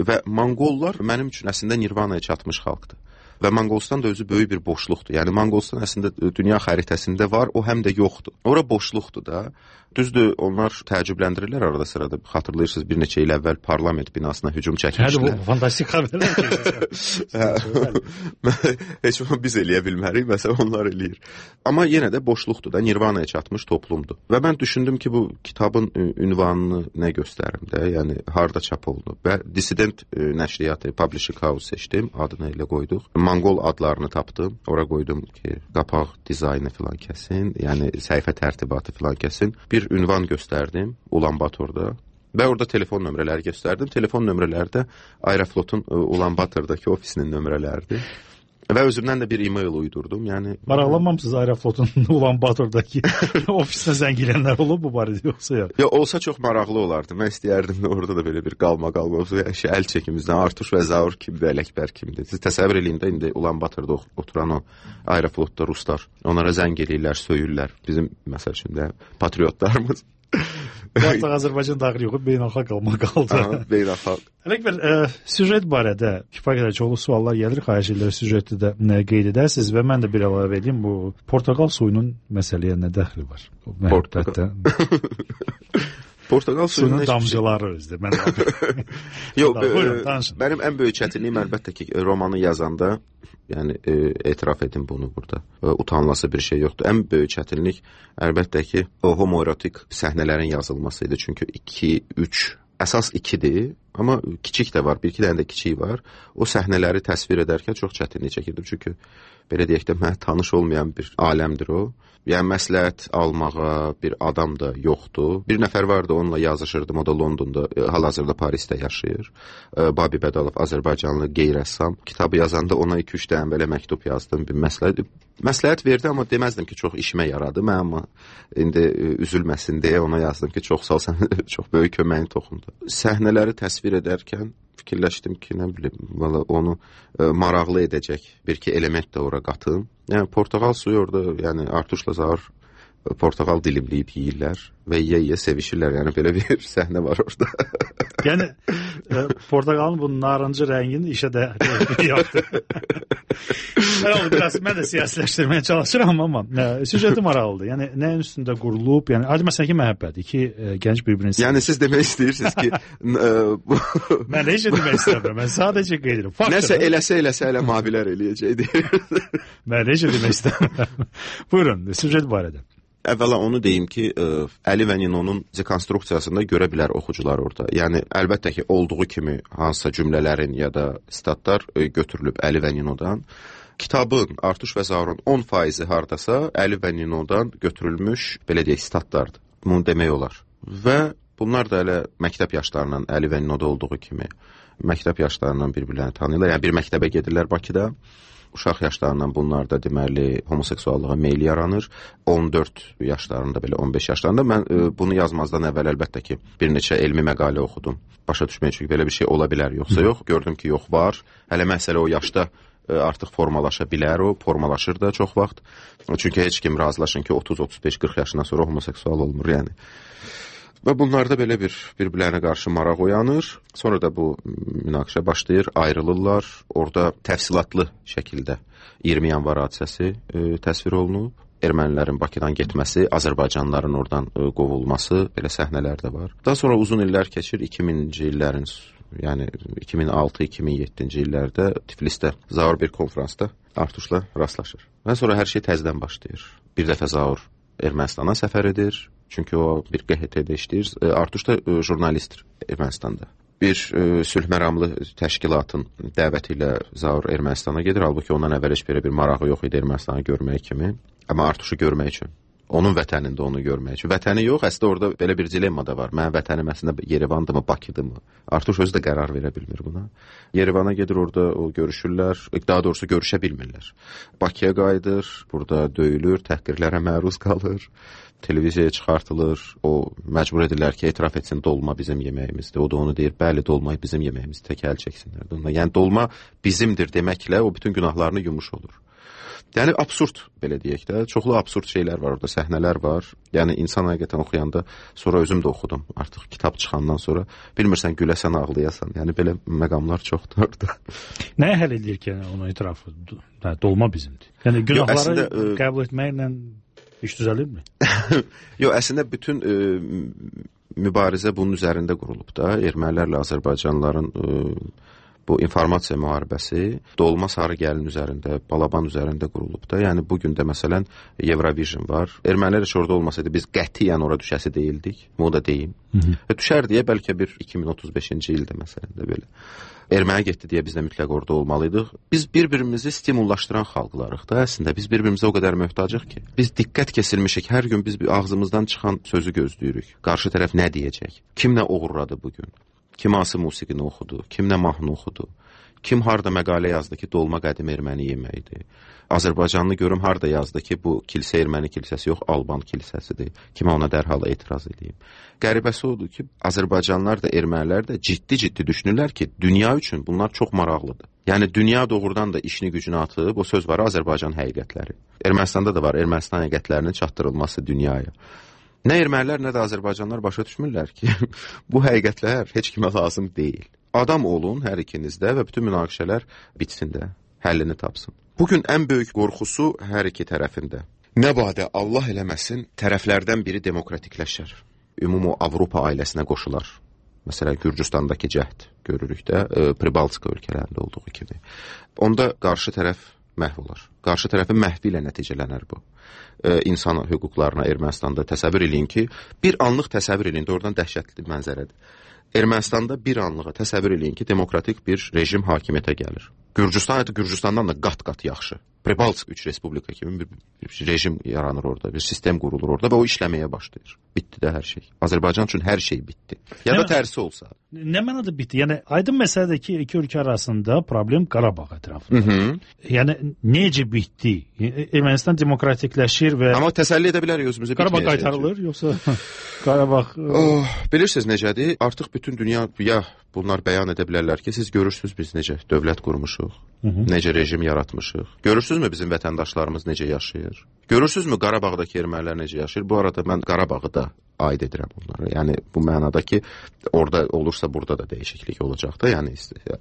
Və monqollar mənim üçün əslində Nirvanaya çatmış xalqdır. Və Monqolistan da özü böyük bir boşluqdur. Yəni Monqolistan əslində dünya xəritəsində var, o həm də yoxdur. Ora boşluqdur da. Düzdür, onlar təəccübləndirirlər arada sırada. Xatırlayırsınız, bir neçə il əvvəl parlament binasına hücum çəkmişdilər. Bu fantastik xəbərlər. Heç biz eləyə bilmərik, məsələn onlar eləyir. Amma yenə də boşluqdur da, Nirvanaya çatmış toplumdur. Və mən düşündüm ki, bu kitabın ünvanını nə göstərim də, yəni harda çap olunub. Və Dissident nəşriyyatı, Publishing House seçdim, adını elə qoyduq. Monqol adlarını tapdım, ora qoydum ki, qapaq dizaynı filan kəsin, yəni səhifə tərtibatı filan kəsin. Bir ünvan göstərdim Ulanbatorda və orada telefon nömrələri göstərdim. Telefon nömrələri də Aeroflotun Ulanbatordakı ofisinin nömrələridir. Və özümdən də bir e-mail uydurdum. Yəni maraqlanmamısınız Aeroflotun Ulanbatordakı ofisinə zəng gələnlər olub bu barədə yoxsa yox? Ya olsa çox maraqlı olardı. Mən istəyərdim də orada da belə bir qalma olsa, əl çəkimizdən Artuş və Zaur kimdir, Ələkbər kimdir. Siz təsəvvür eləyin də indi Ulanbatorda oturan o Aeroflotda ruslar onlara zəng eləyirlər, söyürlər. Bizim məsəl üçün də patriotlarımız. Artıq Azərbaycan daxil yoxdur, beynəlxalq qalma qaldı. Beynəlxalq. Ələkbər, süjet barədə kifayət qədər çoxlu suallar gəlir, xahiş edirəm süjeti də qeyd edəsiniz və mən də bir əlavə edeyim, bu portaqal suyunun məsələyə nə dəxli var? Portaqal suyunun damcıları özdə. Yox, mənim ən böyük çətinliyim əlbəttə ki, romanı yazanda, yəni etiraf edim bunu burada. Utanılası bir şey yoxdur. Ən böyük çətinlik əlbəttə ki, o homoerotik səhnələrin yazılması idi. Çünki 2-3, əsas 2-dir, amma kiçik də var, bir-iki dənə də kiçik var. O səhnələri təsvir edərkən çox çətinlik çəkirdim. Çünki belə deyək də mənə tanış olmayan bir aləmdir o. Yəni məsləhət almağa bir adam da yoxdur. Bir nəfər vardı, onunla yazışırdım. O da Londonda, hal-hazırda Parisdə yaşayır. Babi Bədalov, Azərbaycanlı qeyri-rəssam. Kitabı yazanda ona 2-3 dənə belə məktub yazdım. Bir məsləhət verdi, amma deməzdim ki, çox işimə yaradı. Mən amma indi üzülməsin deyə ona yazdım ki, çox sağ ol, sən çox böyük köməyin toxundu. Səhnələri təsvir edərkən fikirləşdim ki, nə bilim, onu maraqlı edəcək bir-iki element də ora qatım. Yəni portaqal suyu orada, yəni Artuşla Zaur portaqal dilimləyib yeyirlər və yeyə sevişirlər. Yəni belə bir səhnə var orada. Yəni portaqalın bu narıncı rəngini işə də yaptı. Mən də siyasiləşdirməyə çalışıram, amma süjeti maraqlıdır. Yəni nəyin üstündə qurulub, yəni adi məsələn ki, məhəbbət, iki gənc bir-birini sevir. Yəni siz demək istəyirsiniz ki, mən heç demək istəmirəm. Mən sadəcə qeyd edirəm. Nəsə eləsə elə mavilər eləyəcək deyir. Mən heç demək istəmirəm. Buyurun, süjet barədə. Əvvəla onu deyim ki, Əli və Ninonun dekonstruksiyasında görə bilər oxucular orada. Yəni, əlbəttə ki, olduğu kimi hansısa cümlələrin ya da statlar götürülüb Əli və Ninodan. kitabın Artuş və Zaurun 10% hardasa Əli və Ninodan götürülmüş, belə deyək, statlardır. Bunu demək olar. Və bunlar da elə məktəb yaşlarından Əli və Ninoda olduğu kimi məktəb yaşlarından bir-birlərini tanıyırlar. Yəni bir məktəbə gedirlər Bakıda. Uşaq yaşlarından bunlar da deməli homoseksuallığa meyil yaranır. 14 yaşlarında, belə 15 yaşlarında mən bunu yazmazdan əvvəl əlbəttə ki bir neçə elmi məqalə oxudum. Başa düşmək üçün belə bir şey ola bilər yoxsa yox. Gördüm ki yox var. Hələ məsələ o yaşda artıq formalaşa bilər, o formalaşır da çox vaxt. Çünki heç kim razılaşın ki 30, 35, 40 yaşından sonra homoseksual olmur yəni. Və bunlarda belə bir-birlərinə qarşı maraq oyanır. Sonra da bu münaqişə başlayır, ayrılırlar. Orada təfsilatlı şəkildə 20 yanvar hadisəsi təsvir olunub. Ermənilərin Bakıdan getməsi, Azərbaycanlıların oradan qovulması, belə səhnələr də var. Daha sonra uzun illər keçir, 2000-ci illərin, yəni 2006-2007-ci illərdə Tiflisdə Zaur bir konfransda Artuşla rastlaşır. Və sonra hər şey təzədən başlayır. Bir dəfə Zaur Ermənistana səfər edir. Çünki o bir QHT-də işləyir. Artuş da jurnalistdir Ermənistanda. Bir sülh məramlı təşkilatın dəvəti ilə Zaur Ermənistana gedir. Halbuki ondan əvvəl heç bir marağı yox idi Ermənistanı görmək kimi. Amma Artuşu görmək üçün. Onun vətənində onu görmək üçün. Vətəni yox, əslində orada belə bir dilemma da var. Mənim vətənim əslində Yerevandırmı, Bakıdırmı? Artuş özü də qərar verə bilmir buna. Yerevana gedir, orada o görüşürlər. Daha doğrusu görüşə bilmirlər. Bakıya qayıdır, burada döyülür, təhqirlərə məruz qalır. Televiziyaya çıxartılır, o məcbur edirlər ki, etiraf etsin, dolma bizim yeməyimizdir. O da onu deyir, bəli, dolma bizim yeməyimizdir, tək əl çəksinlər. Yəni dolma bizimdir deməklə o bütün günahlarını yumuş olur. Yəni absurd, belə deyək də, çoxlu absurd şeylər var orada, səhnələr var. Yəni insan həqiqətən oxuyanda, sonra özüm də oxudum, artıq kitab çıxandan sonra, bilmirsən güləsən, ağlayasan. Yəni belə məqamlar çoxdur orada. Nəyə həll edir ki, onu etiraf dolma bizimdir? Yəni günahları qəbul etməklə İş düzəlirmi? Yox, əslində bütün mübarizə bunun üzərində qurulub da. Ermənilərlə Azərbaycanlıların bu informasiya müharibəsi dolma sarı gəlin üzərində, Balaban üzərində qurulub da. Yəni bugün də məsələn Eurovision var. Ermənilər heç orada olmasaydı biz qətiyyən ora düşəsi deyildik. Bunu da deyim. Düşər deyə bəlkə bir 2035-ci ildə məsələn də belə. Erməni getdi deyə biz də mütləq orada olmalıydıq. Biz bir-birimizi stimullaşdıran xalqlarıq da. Əslində biz bir-birimizə o qədər möhtacıq ki. Biz diqqət kesilmişik. Hər gün biz ağzımızdan çıxan sözü gözləyirik. Qarşı tərəf nə deyəcək? Kim nə oğurladı bugün? Kim hansı musiqini oxudu? Kim nə mahnı oxudu? Kim harda məqalə yazdı ki, dolma qədim erməni yeməkdir? Azərbaycanlı görüm harda yazdı ki, bu kilsə erməni kilsəsi yox, Alban kilsəsidir. Kimə ona dərhal etiraz edeyim. Qəribəsi odur ki, Azərbaycanlılar da, ermənilər də ciddi düşünürlər ki, dünya üçün bunlar çox maraqlıdır. Yəni dünya doğrudan da işini gücünü atıb, o söz var, Azərbaycan həqiqətləri. Ermənistanda da var, Ermənistan həqiqətlərinin çatdırılması dünyaya. Nə ermənilər, nə də Azərbaycanlılar başa düşmürlər ki, bu həqiqətlər heç kimə lazım deyil. Adam olun hər ikinizdə və bütün münaqişələr bitsin də, həllini tapsın. Bugün ən böyük qorxusu hər iki tərəfində. Nə badə Allah eləməsin, tərəflərdən biri demokratikləşər. Ümumi Avropa ailəsinə qoşular. Məsələn, Gürcüstandakı cəhd görürük də, Pribaltika ölkələrində olduğu kimi. Onda qarşı tərəf məhv olar. Qarşı tərəfin məhvi ilə nəticələnər bu. İnsan hüquqlarına Ermənistanda təsəvvür eləyin ki, bir anlıq təsəvvür eləyin, oradan dəhşətli mənzərədir. Ermənistanda bir anlığa təsəvvür eləyin ki, demokratik bir rejim hakimiyyətə gəlir. Gürcüstandan da qat-qat yaxşı. Pribalsk 3 respublika kimi bir rejim yaranır orada, bir sistem qurulur orada və o işləməyə başlayır. Bitdi də hər şey. Azərbaycan üçün hər şey bitdi. Ya da tərsi olsa. Nə mənada bitdi? Yəni aydın məsələdir ki, iki ölkə arasında problem Qarabağ ətrafında. Yəni necə bitdi? Ermənistan demokratikləşir və amma təsəlli edə bilərik özümüzə bitməyəcək. Qarabağ qaytarılır yoxsa Qarabağ bilirsiniz necədir? Artıq bütün dünya bunlar bəyan edə bilərlər ki, siz görürsünüz biz necə dövlət qurmuşuq, necə rejim yaratmışıq. Görürsünüzmü bizim vətəndaşlarımız necə yaşayır? Görürsünüzmü Qarabağdakı ermənilər necə yaşayır? Bu arada mən Qarabağı da aid edirəm onlara. Yəni bu mənada ki, orada olursa burada da dəyişiklik olacaq da, yəni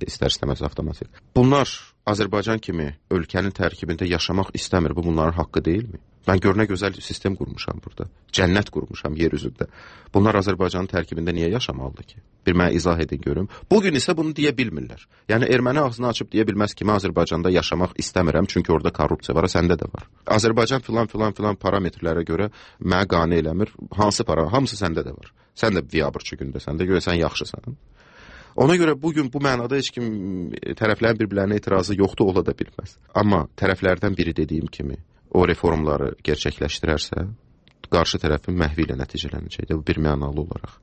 istər-istəməz avtomatik. Bunlar Azərbaycan kimi ölkənin tərkibində yaşamaq istəmir. Bu bunların haqqı deyilmi? Mən görünə gözəl sistem qurmuşam burada. Cənnət qurmuşam yer üzündə. Bunlar Azərbaycanın tərkibində niyə yaşamalıdır ki? Bir mənə izah edin görüm. Bugün isə bunu deyə bilmirlər. Yəni erməni ağzını açıb deyə bilməz ki, mən Azərbaycanda yaşamaq istəmirəm, çünki orada korrupsiya var, səndə də var. Azərbaycan filan parametrlərə görə mənə qane eləmir. Hansı para? Hamısı səndə də var. Sən də biabırçı gündəsən də, görə sən yaxşısan. Ona görə bugün bu mənada heç kim tərəflərin bir-birlərinə etirazı yoxdur, ola da bilməz. Amma tərəflərdən biri dediyim kimi o reformları gerçəkləşdirərsə, qarşı tərəfin məhvi ilə nəticələnəcəkdir. Bu bir mənalı olaraq.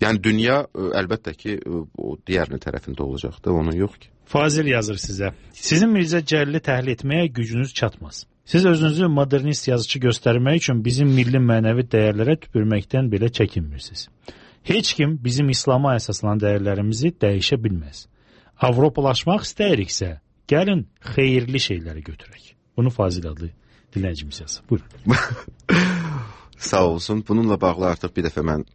Yəni dünya əlbəttə ki o digərini tərəfində olacaqdır, onun yox ki. Fazil yazır sizə. Sizin Mirzə Cəlili təhlil etməyə gücünüz çatmaz. Siz özünüzü modernist yazıcı göstərmək üçün bizim milli mənəvi dəyərlərə tüpürməkdən belə çəkinmirsiniz. Heç kim bizim İslama əsaslanan dəyərlərimizi dəyişə bilməz. Avropalaşmaq istəyiriksə, gəlin xeyirli şeyləri götürək. Bunu Fazil adlı dinləyicimiz yazır. Buyurun. Sağ olsun. Bununla bağlı artıq bir dəfə mən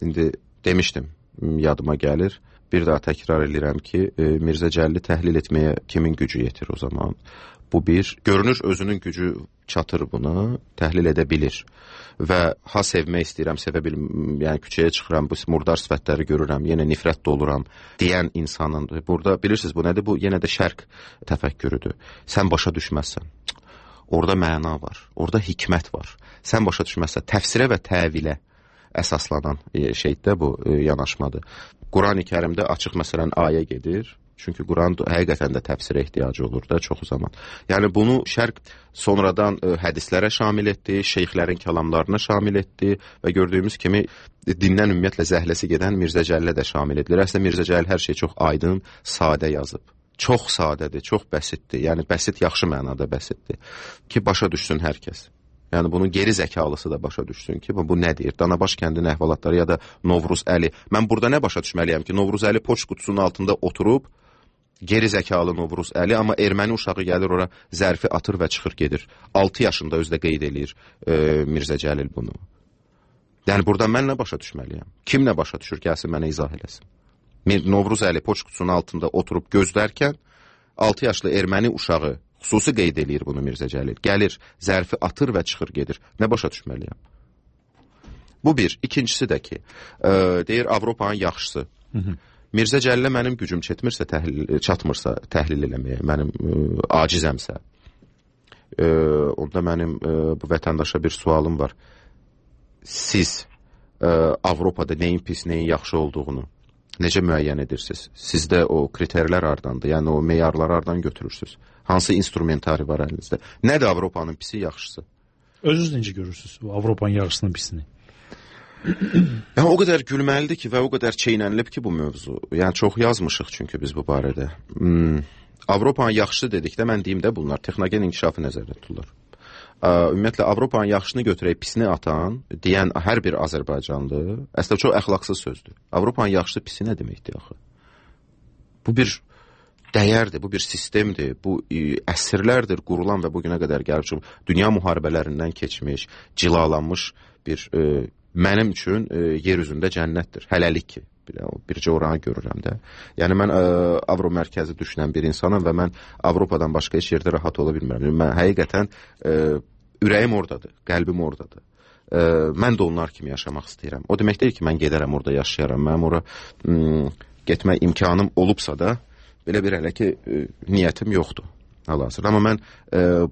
indi demişdim, yadıma gəlir. Bir daha təkrar edirəm ki, Mirzə Cəlili təhlil etməyə kimin gücü yetir o zaman? Bu bir, görünür özünün gücü çatır buna, təhlil edə bilir. Və ha sevmək istəyirəm, sevə bilmirəm, yəni küçəyə çıxıram, bu murdar sifətləri görürəm, yenə nifrət doluram deyən insanın. Burada bilirsiniz bu nədir? Bu yenə də şərq təfəkkürüdür. Sən başa düşməzsən. Orada məna var, orada hikmət var. Sən başa düşməzsən, təfsirə və təvilə əsaslanan şeydə bu yanaşmadır. Qurani Kərimdə açıq məsələn ayə gedir. Çünki Quran həqiqətən də təfsirə ehtiyacı olur da çox zaman. Yəni bunu şərq sonradan hədislərə şamil etdi, şeyxlərin kəlamlarına şamil etdi və gördüyümüz kimi dindən ümumiyyətlə zəhləsi gedən Mirzə Cəlilə də şamil edilir. Əslində Mirzə Cəlil hər şey çox aydın, sadə yazıb. Çox sadədir, çox bəsitdir. Yəni bəsit yaxşı mənada bəsitdir ki, başa düşsün hər kəs. Yəni bunun geri zəkalısı da başa düşsün ki, bu nə deyir? Danabaş kəndinin əhvalatları ya da Novruz Əli. Mən burada nə başa düşməliyəm ki, Novruz Əli poçt qutusunun altında oturub, geri zəkalı Novruz Əli, amma erməni uşağı gəlir ora, zərfi atır və çıxır gedir. 6 yaşında özdə qeyd eləyir Mirzə Cəlil bunu. Yəni burada mən nə başa düşməliyəm? Kim nə başa düşür? Gəlsin mənə izah eləsin. Novruz Əli poçt qutusunun altında oturub gözlərkən 6 yaşlı erməni uşağı xüsusi qeyd eləyir bunu Mirzə Cəlil. Gəlir, zərfi atır və çıxır gedir. Nə başa düşməliyəm? Bu bir. İkincisi də ki, deyir Avropanın yaxşısı. Mirzə Cəlilə mənim gücüm çatmırsa təhlil eləməyə, mənim acizəmsə, onda mənim bu vətəndaşa bir sualım var. Siz Avropada nəyin pis, nəyin yaxşı olduğunu necə müəyyən edirsiniz? Sizdə o kriterlər hardandır? Yəni o meyarları hardan götürürsünüz? Hansı instrumentari var əlinizdə? Nədir Avropanın pisi, yaxşısı? Özünüz necə görürsünüz Avropanın yaxşısının pisini? Yəni o qədər gülməlidir ki və o qədər çeynənilib ki bu mövzu. Yəni çox yazmışıq çünki biz bu barədə. Avropanın yaxşı dedikdə mən deyim də bunlar texnogen inkişafı nəzərdə tutulur. Ümumiyyətlə Avropanın yaxşını götürək, pisini atan deyən hər bir Azərbaycanlı əslində çox əxlaqsız sözdür. Avropanın yaxşısı pisi nə deməkdir axı? Bu bir dəyərdir, bu bir sistemdir, bu əsrlərdir qurulan və bugünə qədər gəlib dünya müharibələrindən keçmiş, cilalanmış bir mənim üçün yer üzündə cənnətdir. Hələlik ki, bircə oranı görürəm də. Yəni mən Avro mərkəzi düşünən bir insanam və mən Avropadan başqa heç yerdə rahat ola bilmirəm. Mən həqiqətən ürəyim oradadır, qəlbim oradadır. Mən də onlar kimi yaşamaq istəyirəm. O demək deyil ki, mən gedərəm orada yaşayaram. Mənim ora getmək imkanım olubsa da, belə bir hələ ki, niyyətim yoxdur. Hal-hazırda. Amma mən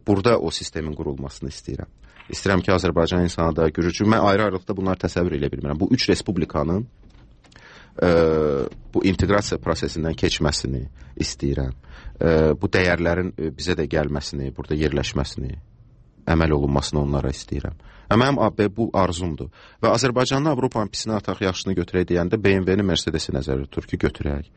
burada o sistemin qurulmasını istəyirəm. İstəyirəm ki, Azərbaycan insanı da görür. Mən ayrı-ayrılıqda bunları təsəvvür edə bilmirəm. Bu üç respublikanın bu inteqrasiya prosesindən keçməsini istəyirəm. Bu dəyərlərin bizə də gəlməsini, burada yerləşməsini, əməl olunmasını onlara istəyirəm. Mənim bu arzumdur. Və Azərbaycanlı Avropanın pisini ataq, yaxşını götürək deyəndə BMW-ni, Mercedes-i nəzərdə tutur ki, götürək.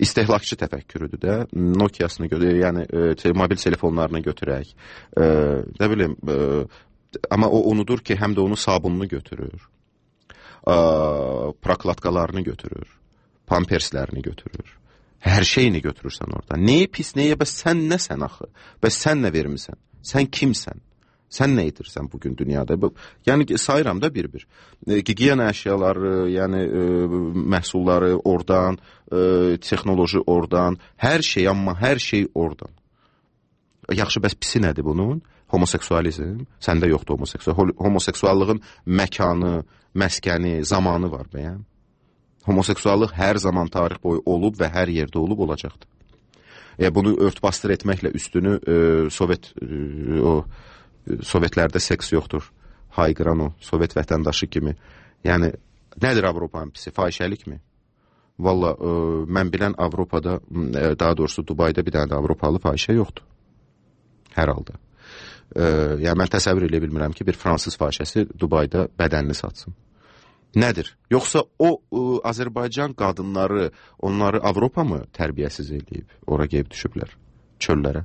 İstehlakçı təfəkkürüdür də, Nokia-sını götürək, yəni mobil telefonlarını götürək. Nə bilim, amma o unudur ki, həm də onu sabununu götürür, prokladkalarını götürür, pamperslərini götürür. Hər şeyini götürürsən orada. Neyi pis, neyə? Bəs sən nəsən axı? Bəs sən nə vermirsən? Sən kimsən? Sən nə edirsən bugün dünyada? Yəni sayıram da bir-bir. Gigiyena əşyaları, yəni məhsulları oradan, texnoloji oradan, hər şey, amma hər şey oradan. Yaxşı, bəs pisi nədir bunun? Homoseksualizm. Səndə yoxdur homoseksual. Homoseksuallığın məkanı, məskəni, zamanı var bəyəm. Homoseksuallıq hər zaman tarix boyu olub və hər yerdə olub olacaqdır. Bunu örtbasdır etməklə üstünü Sovetlərdə seks yoxdur, hayqıran o Sovet vətəndaşı kimi. Yəni, nədir Avropanın pisi? Fahişəlikmi? Valla mən bilən Avropada, daha doğrusu Dubayda bir dənə də Avropalı fahişə yoxdur. Hər halda. Yəni mən təsəvvür edə bilmirəm ki, bir fransız fahişəsi Dubayda bədənini satsın. Nədir? Yoxsa o Azərbaycan qadınları, onları Avropa mı tərbiyəsiz eləyib, ora gəlib düşüblər çöllərə?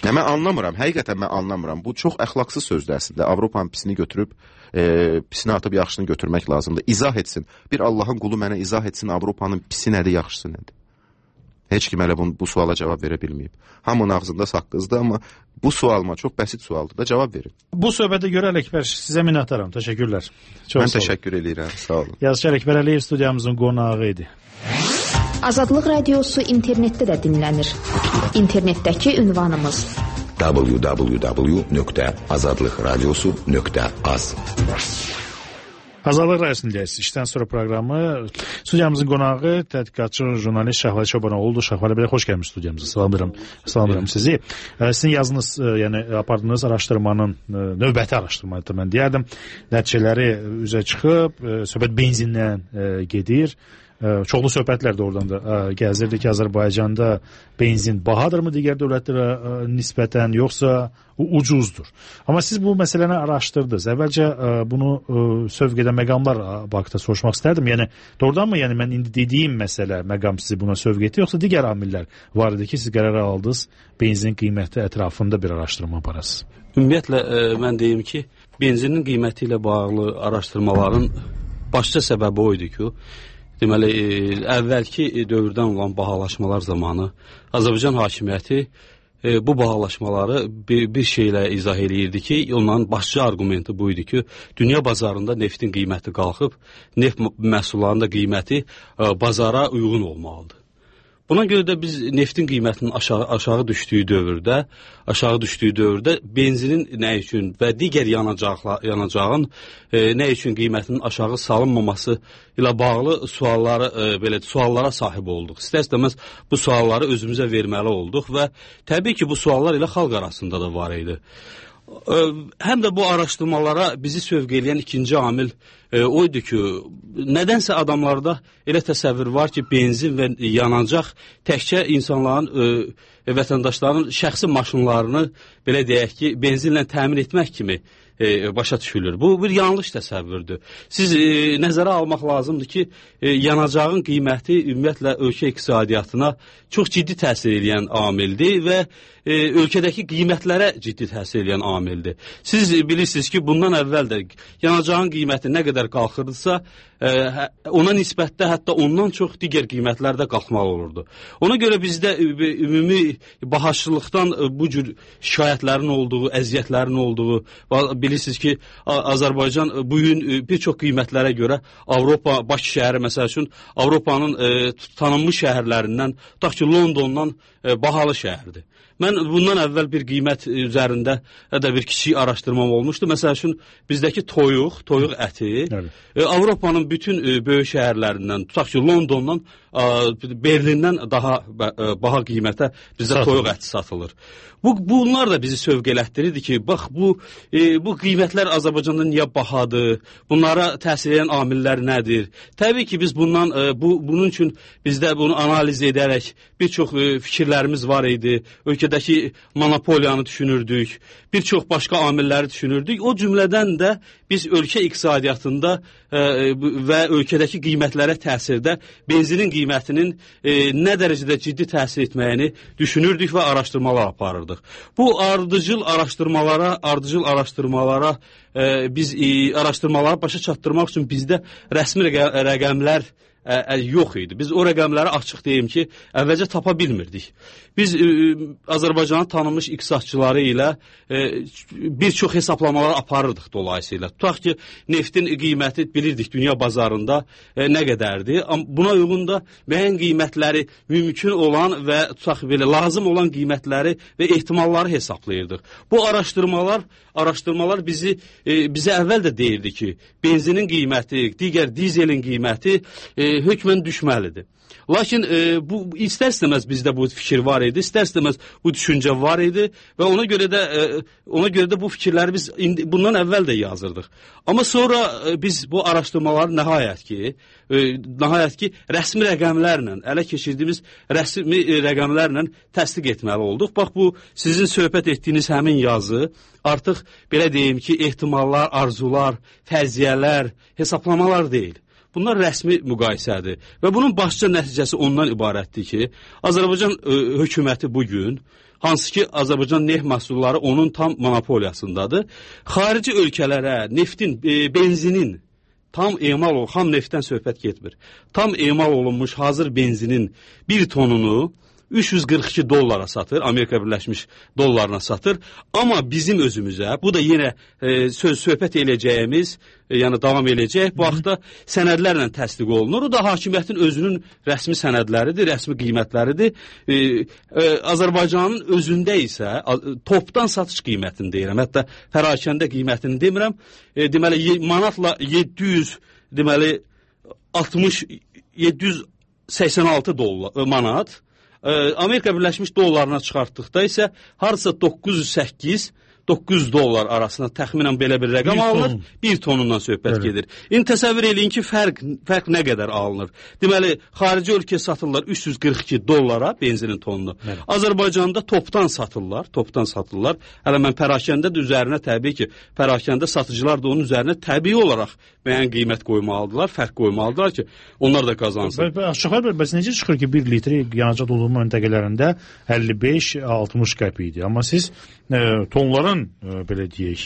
Yəni mən anlamıram, həqiqətən mən anlamıram. Bu çox əxlaqsız sözdür əslində. Avropanın pisini götürüb, pisini atıb yaxşısını götürmək lazımdır. İzah etsin. Bir Allahın qulu mənə izah etsin, Avropanın pisi nədir, yaxşısı nədir? Heç kim hələ bu suala cavab verə bilməyib. Hamının ağzında saqqızdır, amma bu sualıma çox bəsit sualdır da, cavab verin. Bu söhbətə görə Ələkbər, sizə minnətdaram. Təşəkkürlər. Mən təşəkkür edirəm. Sağ olun. Yazıçı Ələkbər Əliyev studiyamızın qonağı idi. Azadlıq Radiosu internetdə də dinlənir. İnternetdəki ünvanımız www.azadlıqradiosu.az. Azadlıq Radiosu'nun dərsiniz. İşdən sonra proqramı. Studiyamızın qonağı tədqiqatçı jurnalist Şahvalı Çobanoğlu oldu. Şahvalı bəy, xoş gəlmiş studiyamıza. Salamlayıram sizi. Sizin yazınız, yəni apardığınız araşdırmanın, növbəti araşdırmadır mən deyərdim. Nəticələri üzə çıxıb, söhbət benzindən gedir. Çoxlu söhbətlər də oradan da gəzirdi ki, Azərbaycanda benzin bahadırmı digər dövlətlərə nisbətən, yoxsa ucuzdur. Amma siz bu məsələni araşdırdınız. Əvvəlcə bunu sövq edən məqamlar barədə soruşmaq istərdim. Yəni doğrudan mı, yəni mən indi dediyim məsələ, məqam sizi buna sövq etdi, yoxsa digər amillər var idi ki, siz qərar aldınız benzin qiyməti ətrafında bir araşdırma aparasınız? Ümumiyyətlə mən deyim ki, benzinin qiyməti ilə bağlı araşdırmaların başlıca səbəbi o idi ki, deməli, əvvəlki dövrdən olan bahalaşmalar zamanı Azərbaycan hakimiyyəti bu bahalaşmaları bir şeylə izah eləyirdi ki, onların başlıca arqumenti bu idi ki, dünya bazarında neftin qiyməti qalxıb, neft məhsullarının da qiyməti bazara uyğun olmalıdır. Buna görə də biz neftin qiymətinin aşağı düşdüyü dövrdə benzinin nə üçün və digər yanacağın nə üçün qiymətinin aşağı salınmaması ilə bağlı suallara sahib olduq. İstər-istəməz bu sualları özümüzə verməli olduq və təbii ki, bu suallar ilə xalq arasında da var idi. Həm də bu araşdırmalara bizi sövq eləyən ikinci amil o idi ki, nədənsə adamlarda elə təsəvvür var ki, benzin və yanacaq təkcə insanların, vətəndaşların şəxsi maşınlarını, belə deyək ki, benzinlə təmin etmək kimi başa düşülür. Bu bir yanlış təsəvvürdür. Siz nəzərə almaq lazımdır ki, yanacağın qiyməti ümumiyyətlə ölkə iqtisadiyyatına çox ciddi təsir edən amildir və ölkədəki qiymətlərə ciddi təsir edən amildir. Siz bilirsiniz ki, bundan əvvəl də yanacağın qiyməti nə qədər qalxırdısa, ona nisbətdə hətta ondan çox digər qiymətlər də qalxmalı olurdu. Ona görə bizdə ümumi bahaçılıqdan bu cür şikayətlərin olduğu, əziyyətlərin olduğu, bilirsiniz ki, Azərbaycan bugün bir çox qiymətlərə görə Avropa, Bakı şəhəri məsəl üçün Avropanın tanınmış şəhərlərindən, tutaq ki, Londondan bahalı şəhərdir. Mən bundan əvvəl bir qiymət üzərində də bir kiçik araşdırmam olmuşdu. Məsəl üçün, bizdəki toyuq əti Avropanın bütün böyük şəhərlərindən, tutaq ki, Londondan, Berlindən daha baha qiymətə bizdə toyuq əti satılır. Bunlar da bizi sövq elətdirirdi ki, bax, bu qiymətlər Azərbaycanda niyə bahadır, bunlara təsir edən amillər nədir? Təbii ki, biz bunun üçün bizdə bunu analiz edərək bir çox fikirlərimiz var idi, ölkədəki monopoliyanı düşünürdük, bir çox başqa amilləri düşünürdük. O cümlədən də biz ölkə iqtisadiyyatında və ölkədəki qiymətlərə təsirdə benzinin qiymətinin nə dərəcədə ciddi təsir etməyini düşünürdük və araşdırmalar aparırdıq. Bu ardıcıl araşdırmalara biz araşdırmaları başa çatdırmaq üçün bizdə rəsmi rəqəmlər yox idi. Biz o rəqəmləri açıq deyim ki, əvvəlcə tapa bilmirdik. Biz Azərbaycanın tanınmış iqtisadçıları ilə bir çox hesablamalar aparırdıq dolayısıyla. Tutaq ki, neftin qiyməti bilirdik dünya bazarında nə qədərdir. Buna uyğun da müəyyən qiymətləri mümkün olan və tutaq belə lazım olan qiymətləri və ehtimalları hesablayırdıq. Bu araşdırmalar bizə əvvəl də deyirdi ki, benzinin qiyməti, digər dizelin qiyməti hökmən düşməlidir. Lakin bu istər-istəməz bizdə bu fikir var idi, istər-istəməz bu düşüncə var idi və ona görə də bu fikirləri biz bundan əvvəl də yazırdıq. Amma sonra biz bu araşdırmaları nəhayət ki rəsmi rəqəmlərlə, ələ keçirdiyimiz rəsmi rəqəmlərlə təsdiq etməli olduq. Bax, bu sizin söhbət etdiyiniz həmin yazı artıq belə deyim ki, ehtimallar, arzular, fərziyyələr, hesablamalar deyil. Bunlar rəsmi müqayisədir və bunun başlıca nəticəsi ondan ibarətdir ki, Azərbaycan hökuməti bugün, hansı ki Azərbaycan neft məhsulları onun tam monopoliyasındadır, xarici ölkələrə neftin, benzinin tam emal olunmuş, xam neftdən söhbət getmir, tam emal olunmuş hazır benzinin bir tonunu $342 satır, Amerika Birləşmiş dollarına satır. Amma bizim özümüzə, bu da yenə söhbət eləyəcəyimiz, yəni davam eləyəcək, bu haqda sənədlərlə təsdiq olunur. O da hakimiyyətin özünün rəsmi sənədləridir, rəsmi qiymətləridir. Azərbaycanın özündə isə topdan satış qiymətini deyirəm, hətta pərakəndə qiymətini demirəm. Deməli, manatla 786 manat, Amerika Birləşmiş dollarına çıxartdıqda isə harasa 908-900 dollar arasında təxminən belə bir rəqəm alınır, bir tonundan söhbət gedir. İndi təsəvvür eləyin ki, fərq nə qədər alınır? Deməli, xarici ölkəyə satırlar $342 benzinin tonunu. Azərbaycanda topdan satırlar. Hələ mən pərakəndə də üzərinə təbii ki, pərakəndə satıcılar da onun üzərinə təbii olaraq müəyyən qiymət qoymalıdırlar, fərq qoymalıdırlar ki, onlar da qazansın. Aşağı bəs necə çıxır ki, 1 litri yanacaq doldurma məntəqələrində 55-60 qəpik idi. Amma siz tonların, belə deyək,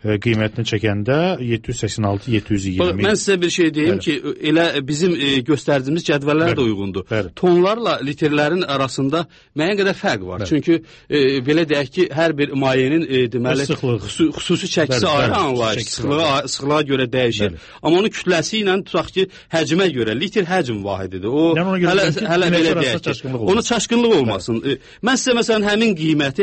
qiymətini çəkəndə 786-720. Mən sizə bir şey deyim ki, elə bizim göstərdiyimiz cədvəllər də uyğundur. Tonlarla litrlərin arasında müəyyən qədər fərq var. Çünki belə deyək ki, hər bir mayenin deməli xüsusi çəkisi ayrı anlayış, sıxlığa görə dəyişir. Amma onun kütləsi ilə tutaq ki, həcmə görə litr həcm vahididir. O hələ belə deyək ki, ona çaşqınlıq olmasın. Mən sizə məsələn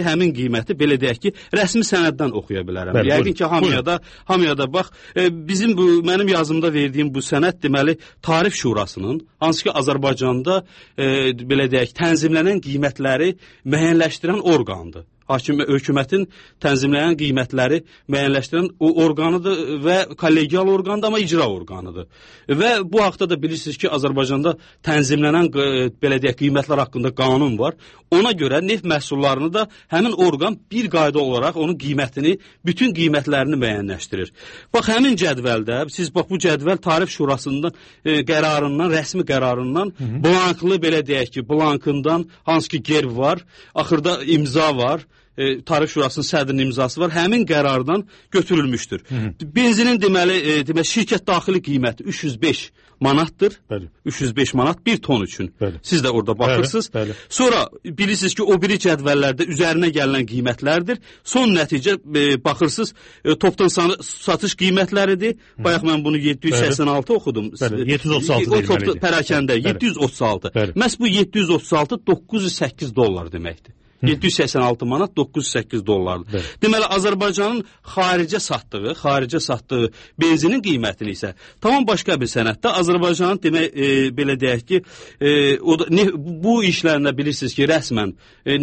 həmin qiyməti belə deyək ki, rəsmi sənəddən oxuya bilərəm. Yəqin ki, hamıyada bax, mənim yazımda verdiyim bu sənəd deməli Tarif Şurasının, hansı ki Azərbaycanda belə deyək, tənzimlənən qiymətləri müəyyənləşdirən orqandır. Hökumətin tənzimləyən qiymətləri müəyyənləşdirən o orqanıdır və kollegial orqandır, amma icra orqanıdır. Və bu haqda da bilirsiniz ki, Azərbaycanda tənzimlənən belə deyək, qiymətlər haqqında qanun var. Ona görə neft məhsullarını da həmin orqan bir qayda olaraq onun qiymətini, bütün qiymətlərini müəyyənləşdirir. Bax, həmin cədvəldə, siz bax bu cədvəl Tarif Şurasının qərarından, rəsmi qərarından, blanklı belə deyək ki, blankından hansı ki gerb var, axırda imza var, Tarif Şurasının sədrinin imzası var, həmin qərardan götürülmüşdür. Benzinin deməli şirkət daxili qiyməti 305 manatdır. 305 manat bir ton üçün. Siz də orada baxırsınız. Sonra bilirsiniz ki, o biri cədvəllərdə üzərinə gələn qiymətlərdir. Son nəticə baxırsınız, topdan satış qiymətləridir. Bayaq mən bunu 786 oxudum. 736 deməlidir. Pərakəndə 736. Məhz bu 736 $908 deməkdir. 786 manat $908. Deməli, Azərbaycanın xaricə satdığı benzinin qiymətini isə tamam başqa bir sənəddə Azərbaycanın belə deyək ki, bu işlərində bilirsiniz ki, rəsmən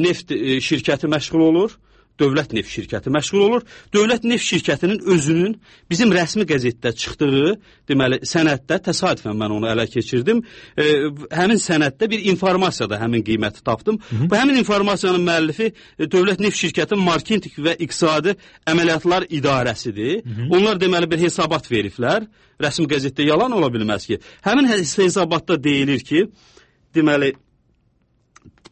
neft şirkəti məşğul olur. Dövlət neft şirkəti məşğul olur. Dövlət neft şirkətinin özünün bizim rəsmi qəzetdə çıxdığı, deməli, sənəddə, təsadüfən mən onu ələ keçirdim, həmin sənəddə bir informasiyada həmin qiyməti tapdım. Bu həmin informasiyanın müəllifi Dövlət neft şirkətinin marketinq və iqtisadi əməliyyatlar idarəsidir. Onlar deməli bir hesabat veriblər. Rəsmi qəzetdə yalan ola bilməz ki. Həmin hesabatda deyilir ki, deməli,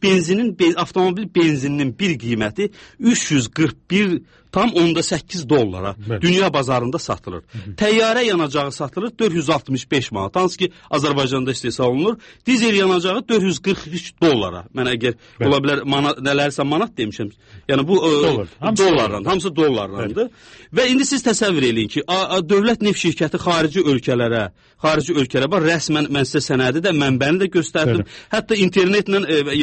avtomobil benzininin bir qiyməti $341,8 dünya bazarında satılır. Təyyarə yanacağı satılır 465 manat. Hansı ki Azərbaycanda istehsal olunur. Dizel yanacağı $443. Mən əgər ola bilər nələrsə manat demişəm. Yəni bu dollarla, hamısı dollarlandır. Və indi siz təsəvvür eləyin ki, dövlət neft şirkəti xarici ölkələrə bax, rəsmən mən sizə sənədi də, mənbəni də göstərdim. Hətta internetlə,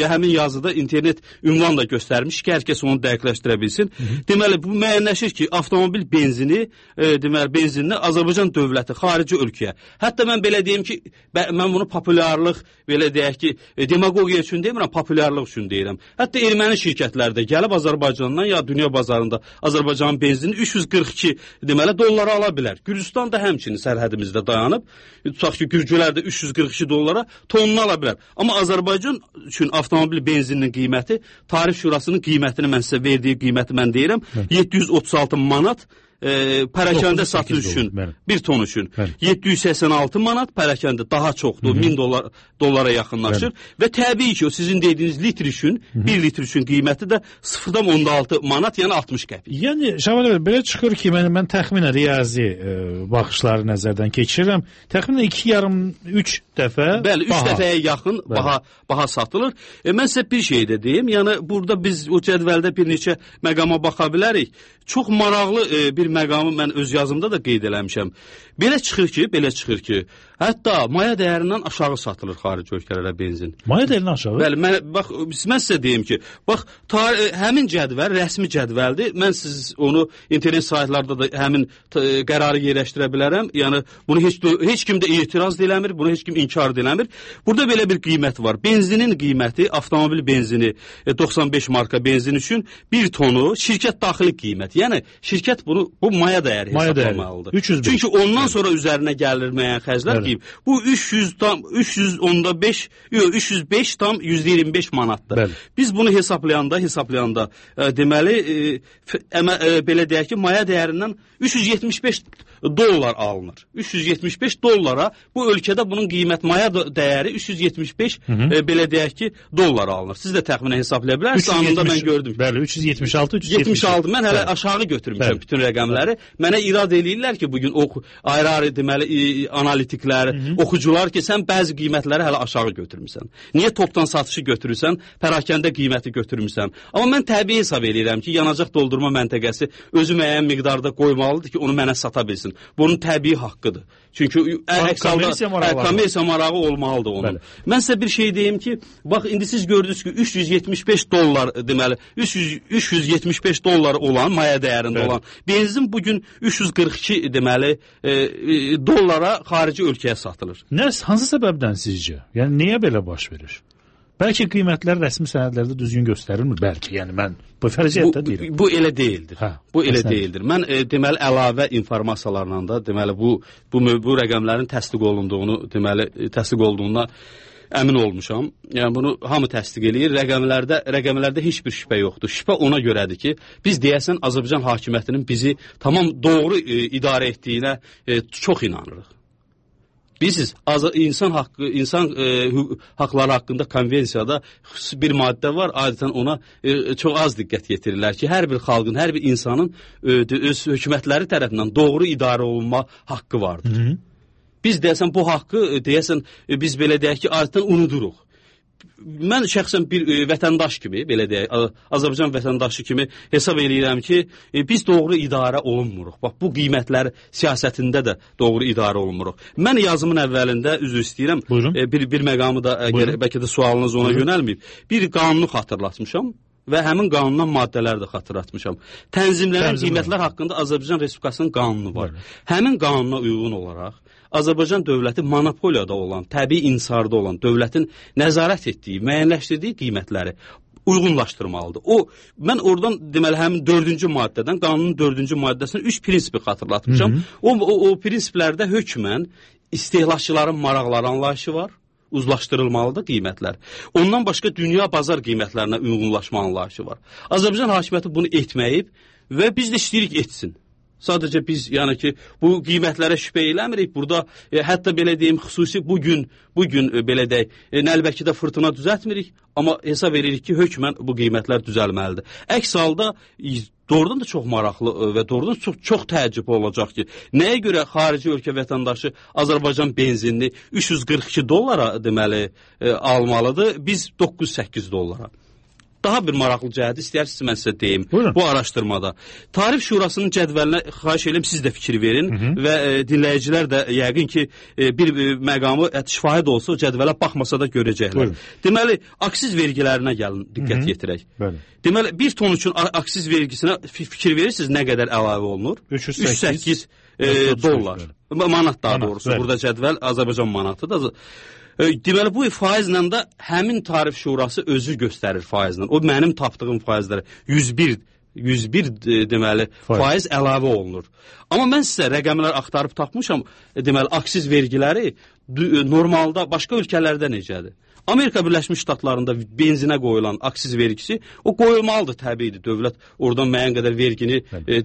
həmin yazıda internet ünvan da göstərmiş ki, hər kəs onu dəqiqləşdirə bilsin. Deməli, bu müəyyənləşir ki, avtomobil benzini, deməli benzinini Azərbaycan dövləti xarici ölkəyə. Hətta mən belə deyim ki, mən bunu populyarlıq, belə deyək ki, demagogiya üçün demirəm, populyarlıq üçün deyirəm. Hətta erməni şirkətləri də gəlib Azərbaycandan ya dünya bazarında Azərbaycanın benzini 342 deməli dollara ala bilər. Gürcüstan da həmçinin sərhədimizdə dayanıb, tutaq ki, gürcülər də 342 dollara tonunu ala bilər. Amma Azərbaycan üçün avtomobil benzininin qiyməti, Tarif Şurasının qiymətini mən sizə verdiyi qiyməti mən deyirəm, 736 manat pərakəndə satış üçün, bir ton üçün 786 manat, pərakəndə daha çoxdur, 1000 dollara yaxınlaşır və təbii ki, o sizin dediyiniz litr üçün, 1 litr üçün qiyməti də 0,6 manat, yəni 60 qəpik. Yəni, Şaban bəy, belə çıxır ki, mən təxminən riyazi baxışları nəzərdən keçirirəm, təxminən 2,5-3 dəfə bəli, 3 dəfəyə yaxın baha satılır. Mən sizə bir şey də deyim, yəni burada biz o cədvəldə bir neçə məqama baxa bilərik. Çox maraqlı bir məqamı mən öz yazımda da qeyd eləmişəm. Belə çıxır ki, hətta maya dəyərindən aşağı satılır xarici ölkələrə benzin. Maya dəyərindən aşağı? Bəli, mən sizə deyim ki, bax, həmin cədvəl, rəsmi cədvəldir. Mən siz onu internet saytlarda da həmin qərarı yerləşdirə bilərəm. Yəni, bunu heç kim də etiraz eləmir, bunu heç kim inkar eləmir. Burada belə bir qiymət var. Benzinin qiyməti, avtomobil benzini, 95 marka benzin üçün 1 tonu şirkət daxili qiymət. Yəni, şirkət bu maya dəyəri hesablamalıdır. 305. Çünki ondan sonra üzərinə gəlir müəyyən xərclər deyib. Bu 305 tam 125 manatdır. Bəli. Biz bunu hesablayanda deməli, belə deyək ki, maya dəyərindən 375 dollar alınır. 375 dollara bu ölkədə bunun qiymət maya dəyəri 375 belə deyək ki, dollar alınır. Siz də təxminən hesablaya bilərsiniz. Anında mən gördüm. Bəli, 376. Mən hələ aşağı götürmüşəm bütün rəqəmləri. Mənə irad eləyirlər ki, bugün ayrı-ayrı deməli analitiklər, oxucular ki, sən bəzi qiymətləri hələ aşağı götürmüsən. Niyə topdan satışı götürürsən, pərakəndə qiyməti götürmüsən? Amma mən təbii hesab eləyirəm ki, yanacaq doldurma məntəqəsi özü müəyyən miqdarda qoymalıdır ki, onu mənə sata bilsin. Bunun təbii haqqıdır. Çünki kommersiya marağı olmalıdır onun. Bəli. Mən sizə bir şey deyim ki, bax, indi siz gördünüz ki, 375 dollar deməli, 375 dollar olan, maya dəyərində olan benzin bugün 342 deməli dollara xarici ölkəyə satılır. Hansı səbəbdən sizcə? Yəni, niyə belə baş verir? Bəlkə qiymətlər rəsmi sənədlərdə düzgün göstərilmir, bəlkə. Yəni, mən bu fərziyyətdə deyirəm. Bu elə deyildir. Bu elə deyildir. Mən deməli, əlavə informasiyalarla da, deməli, bu rəqəmlərin təsdiq olunduğuna əmin olmuşam. Yəni, bunu hamı təsdiq eləyir. Rəqəmlərdə heç bir şübhə yoxdur. Şübhə ona görədir ki, biz deyəsən Azərbaycan hakimiyyətinin bizi tamam doğru idarə etdiyinə çox inanırıq. Bilirsiniz, insan haqları haqqında konvensiyada xüsusi bir maddə var, adətən ona çox az diqqət yetirirlər ki, hər bir xalqın, hər bir insanın öz hökumətləri tərəfindən doğru idarə olunma haqqı vardır. Biz deyəsən bu haqqı, biz belə deyək ki, adətən unuduruq. Mən şəxsən bir vətəndaş kimi, belə deyək, Azərbaycan vətəndaşı kimi hesab eləyirəm ki, biz doğru idarə olunmuruq. Bax, bu qiymətlər siyasətində də doğru idarə olunmuruq. Mən yazımın əvvəlində, üzr istəyirəm, bir məqamı da, bəlkə də sualınız ona yönəlməyib, bir qanunu xatırlatmışam və həmin qanundan maddələri də xatırlatmışam. Tənzimlənən qiymətlər haqqında Azərbaycan Respublikasının qanunu var. Həmin qanuna uyğun olaraq Azərbaycan dövləti monopoliyada olan, təbii insarda olan dövlətin nəzarət etdiyi, müəyyənləşdirdiyi qiymətləri uyğunlaşdırmalıdır. Mən oradan deməli həmin 4-cü maddədən, qanunun 4-cü maddəsindən 3 prinsipi xatırlatmışam. O prinsiplərdə hökmən istehlakçıların maraqları anlayışı var. Uzlaşdırılmalıdır qiymətlər. Ondan başqa dünya bazar qiymətlərinə uyğunlaşma anlayışı var. Azərbaycan hakimiyyəti bunu etməyib və biz də istəyirik etsin. Sadəcə biz, yəni ki, bu qiymətlərə şübhə eləmirik. Burada hətta belə deyim, xüsusi bugün belə deyək, Nəlbəkidə fırtına düzəltmirik, amma hesab edirik ki, hökmən bu qiymətlər düzəlməlidir. Əks halda doğrudan da çox maraqlı və doğrudan çox təəccüb olacaq ki, nəyə görə xarici ölkə vətəndaşı Azərbaycan benzinini 342 dollara deməli almalıdır, biz 9-8 dollara. Daha bir maraqlı cəhəti istəyirsiniz mən sizə deyim. Buyurun. Bu araşdırmada. Tarif Şurasının cədvəlinə xahiş edirəm siz də fikir verin və dinləyicilər də yəqin ki bir məqamı şifahi də olsa o cədvələ baxmasa da görəcəklər. Buyurun. Deməli, aksiz vergilərinə gəlin diqqət yetirək. Bəli. Deməli, 1 ton üçün aksiz vergisinə fikir verirsiniz nə qədər əlavə olunur? 308 dollar. Manat daha doğrusu. Burada cədvəl Azərbaycan manatıdır. Deməli, bu faizlə də həmin Tarif Şurası özü göstərir faizlə. O mənim tapdığım faizlərə 101 deməli faiz əlavə olunur. Amma mən sizə rəqəmlər axtarıb tapmışam. Deməli, aksiz vergiləri normalda başqa ölkələrdə necədir? Amerika Birləşmiş Ştatlarında benzinə qoyulan aksiz vergisi o qoyulmalıdır təbiidir. Dövlət oradan müəyyən qədər vergini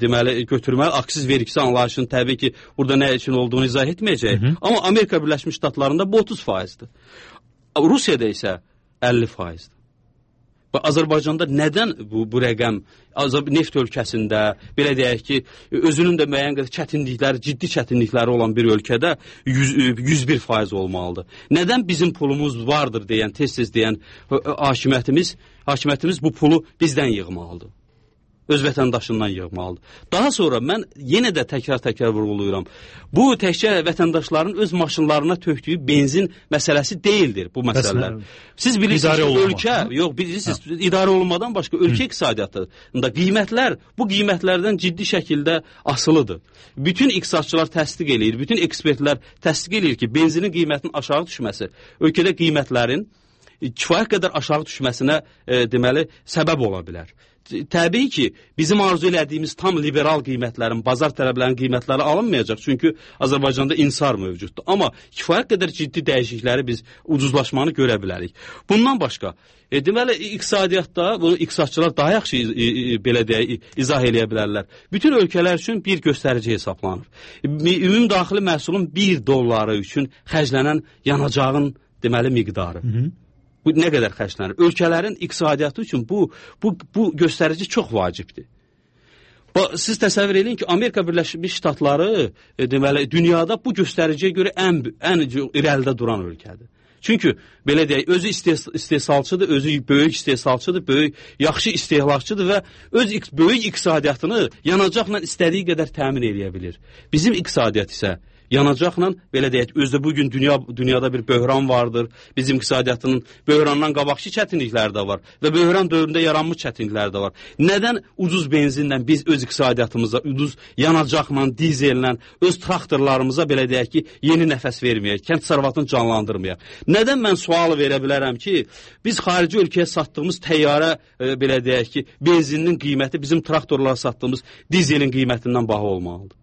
deməli götürməli. Aksiz vergisi anlayışını təbii ki, burada nə üçün olduğunu izah etməyəcək. Amma Amerika Birləşmiş Ştatlarında bu 30%'dir. Rusiyada isə 50%'dir. Azərbaycanda nədən bu rəqəm neft ölkəsində, belə deyək ki, özünün də müəyyən qədər çətinlikləri, ciddi çətinlikləri olan bir ölkədə 101% olmalıdır. Nədən bizim pulumuz vardır deyən, tez-tez deyən hakimiyyətimiz bu pulu bizdən yığmalıdır? Öz vətəndaşından yığmalıdır. Daha sonra mən yenə də təkrar vurğulayıram. Bu təkcə vətəndaşların öz maşınlarına tökdüyü benzin məsələsi deyildir bu məsələlər. Siz bilirsiniz ki, ölkə, yox bilirsiniz, idarə olunmadan başqa ölkə iqtisadiyyatında qiymətlər bu qiymətlərdən ciddi şəkildə asılıdır. Bütün iqtisadçılar təsdiq eləyir, bütün ekspertlər təsdiq eləyir ki, benzinin qiymətinin aşağı düşməsi ölkədə qiymətlərin kifayət qədər aşağı düşməsinə deməli səbəb ola bilər. Təbii ki, bizim arzu elədiyimiz tam liberal qiymətlərin, bazar tələblərinin qiymətləri alınmayacaq. Çünki Azərbaycanda insar mövcuddur. Amma kifayət qədər ciddi dəyişiklikləri biz ucuzlaşmanı görə bilərik. Bundan başqa, deməli, iqtisadiyyatda, bunu iqtisadçılar daha yaxşı belə deyək, izah eləyə bilərlər. Bütün ölkələr üçün bir göstərici hesablanır. Ümumi daxili məhsulun $1 üçün xərclənən yanacağın deməli miqdarı. Bu nə qədər xərclənir? Ölkələrin iqtisadiyyatı üçün bu göstərici çox vacibdir. Siz təsəvvür edin ki, Amerika Birləşmiş Ştatları deməli dünyada bu göstəriciyə görə ən irəlidə duran ölkədir. Çünki belə deyək, özü istehsalçıdır, özü böyük istehsalçıdır, yaxşı istehlakçıdır və öz böyük iqtisadiyyatını yanacaqla istədiyi qədər təmin edə bilir. Bizim iqtisadiyyat isə yanacaqla, belə deyək, özdə bugün dünyada bir böhran vardır. Bizim iqtisadiyyatının böhrandan qabaqçı çətinlikləri də var və böhran dövründə yaranmış çətinlikləri də var. Nədən ucuz benzinlə biz öz iqtisadiyyatımıza, ucuz yanacaqla, dizellə, öz traktorlarımıza, belə deyək ki, yeni nəfəs verməyək, kənd təsərrüfatını canlandırmayaq? Nədən mən sualı verə bilərəm ki, biz xarici ölkəyə satdığımız təyyarə, belə deyək ki, benzinin qiyməti bizim traktorlara satdığımız dizelin qiymətindən baha olmalıdır?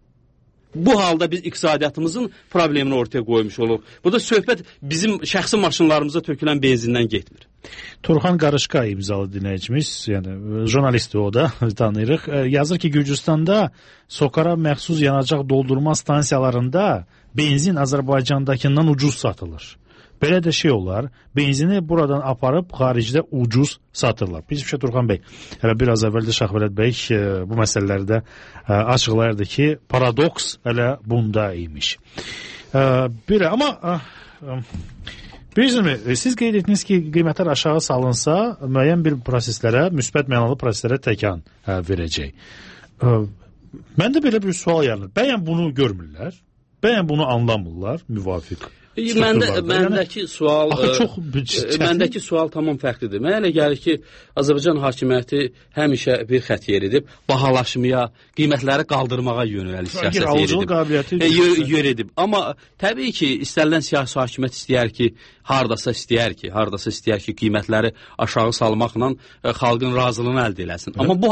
Bu halda biz iqtisadiyyatımızın problemini ortaya qoymuş oluq. Burada söhbət bizim şəxsi maşınlarımıza tökülən benzindən getmir. Turxan Qarışqa imzalı dinləyicimiz, yəni jurnalistdir o da, tanıyırıq. Yazır ki, Gürcüstanda Sokara məxsus yanacaq doldurma stansiyalarında benzin Azərbaycandakından ucuz satılır. Belə də şey olar, benzini buradan aparıb xaricdə ucuz satırlar. Biz Turxan bəy, hələ biraz əvvəldə Şahvələt bəy bu məsələlərdə açıqlayırdı ki, paradoks hələ bunda imiş. Belə, amma bilirsiniz, siz qeyd etdiniz ki, qiymətlər aşağı salınsa, müəyyən bir proseslərə, müsbət mənalı proseslərə təkan verəcək. Məndə belə bir sual yaranır. Bəyən bunu görmürlər, bəyən bunu anlamırlar, müvafiq. Məndəki sual tamam fərqlidir. Mənə elə gəlir ki, Azərbaycan hakimiyyəti həmişə bir xətt yeridib, bahalaşmaya, qiymətləri qaldırmağa yönəlik siyasət yeridib. Amma təbii ki, istənilən siyasi hakimiyyət istəyər ki, hardasa istəyər ki, qiymətləri aşağı salmaqla xalqın razılığını əldə eləsin. Amma bu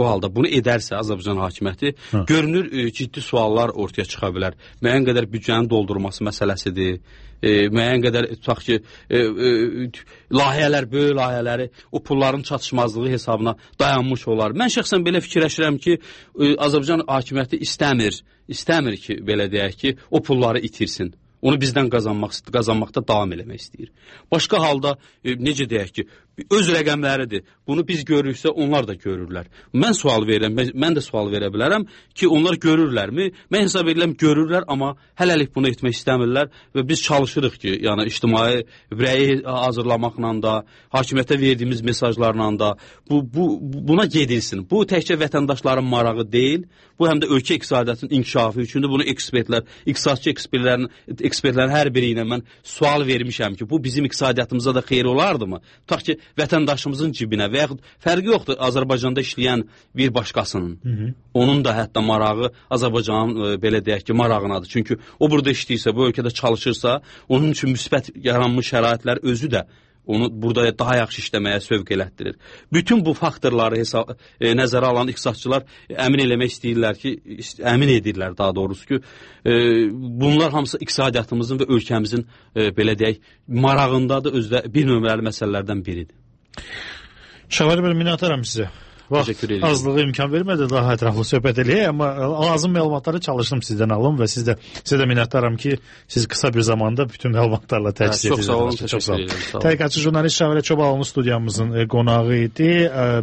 halda bunu edərsə Azərbaycan hakimiyyəti, görünür ciddi suallar ortaya çıxa bilər. Müəyyən qədər büdcənin doldurması məsələsidir. Müəyyən qədər tutaq ki, böyük layihələri o pulların çatışmazlığı hesabına dayanmış olar. Mən şəxsən belə fikirləşirəm ki, Azərbaycan hakimiyyəti istəmir ki, belə deyək ki, o pulları itirsin. Onu bizdən qazanmaqda davam eləmək istəyir. Başqa halda necə deyək ki, öz rəqəmləridir. Bunu biz görürüksə onlar da görürlər. Mən sual verirəm, mən də sual verə bilərəm ki, onlar görürlərmi? Mən hesab edirəm görürlər, amma hələlik bunu etmək istəmirlər və biz çalışırıq ki, yəni ictimai rəyi hazırlamaqla da, hakimiyyətə verdiyimiz mesajlarla da buna gedilsin. Bu təkcə vətəndaşların marağı deyil, bu həm də ölkə iqtisadiyyatının inkişafı üçündür. Bunu iqtisadçı ekspertlərin hər biri ilə mən sual vermişəm ki, bu bizim iqtisadiyyatımıza da xeyir olardımı? Tutaq ki, vətəndaşımızın cibinə və yaxud fərqi yoxdur Azərbaycanda işləyən bir başqasının. Onun da hətta marağı Azərbaycanın belə deyək ki, marağınadır. Çünki o burada işləyirsə, bu ölkədə çalışırsa, onun üçün müsbət yaranmış şəraitlər özü də onu burada daha yaxşı işləməyə sövq elətdirir. Bütün bu faktorları nəzərə alan iqtisadçılar əmin eləmək istəyirlər ki, əmin edirlər daha doğrusu ki, bunlar hamısı iqtisadiyyatımızın və ölkəmizin belə deyək, marağındadır, özdə bir nömrəli məsələlərdən biridir. Şəvəli bəy, minnətdaram sizə. Vaxt azlığı imkan vermədi daha ətraflı söhbət eləyək, amma lazım məlumatları çalışdım sizdən alım və sizə də minnətdaram ki, siz qısa bir zamanda bütün məlumatlarla təchiz etdiniz. Çox sağ olun, təşəkkür edirəm. Tədqiqatçı jurnalist Şəvəli Çobalıoğlu studiyamızın qonağı idi.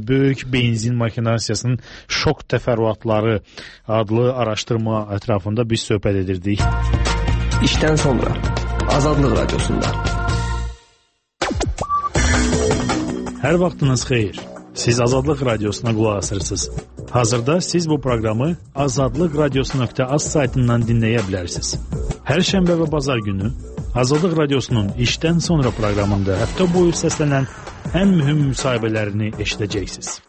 Böyük benzin maşinasiyasının şok təfərrüatları adlı araşdırma ətrafında biz söhbət edirdik. İşdən sonra Azadlıq Radiosunda. Hər vaxtınız xeyir. Siz Azadlıq Radiosuna qulaq asırsınız. Hazırda siz bu proqramı azadlıqradiosu.az saytından dinləyə bilərsiniz. Hər şənbə və bazar günü Azadlıq Radiosunun işdən sonra proqramında həftə boyu səslənən ən mühüm müsahibələrini eşidəcəksiniz.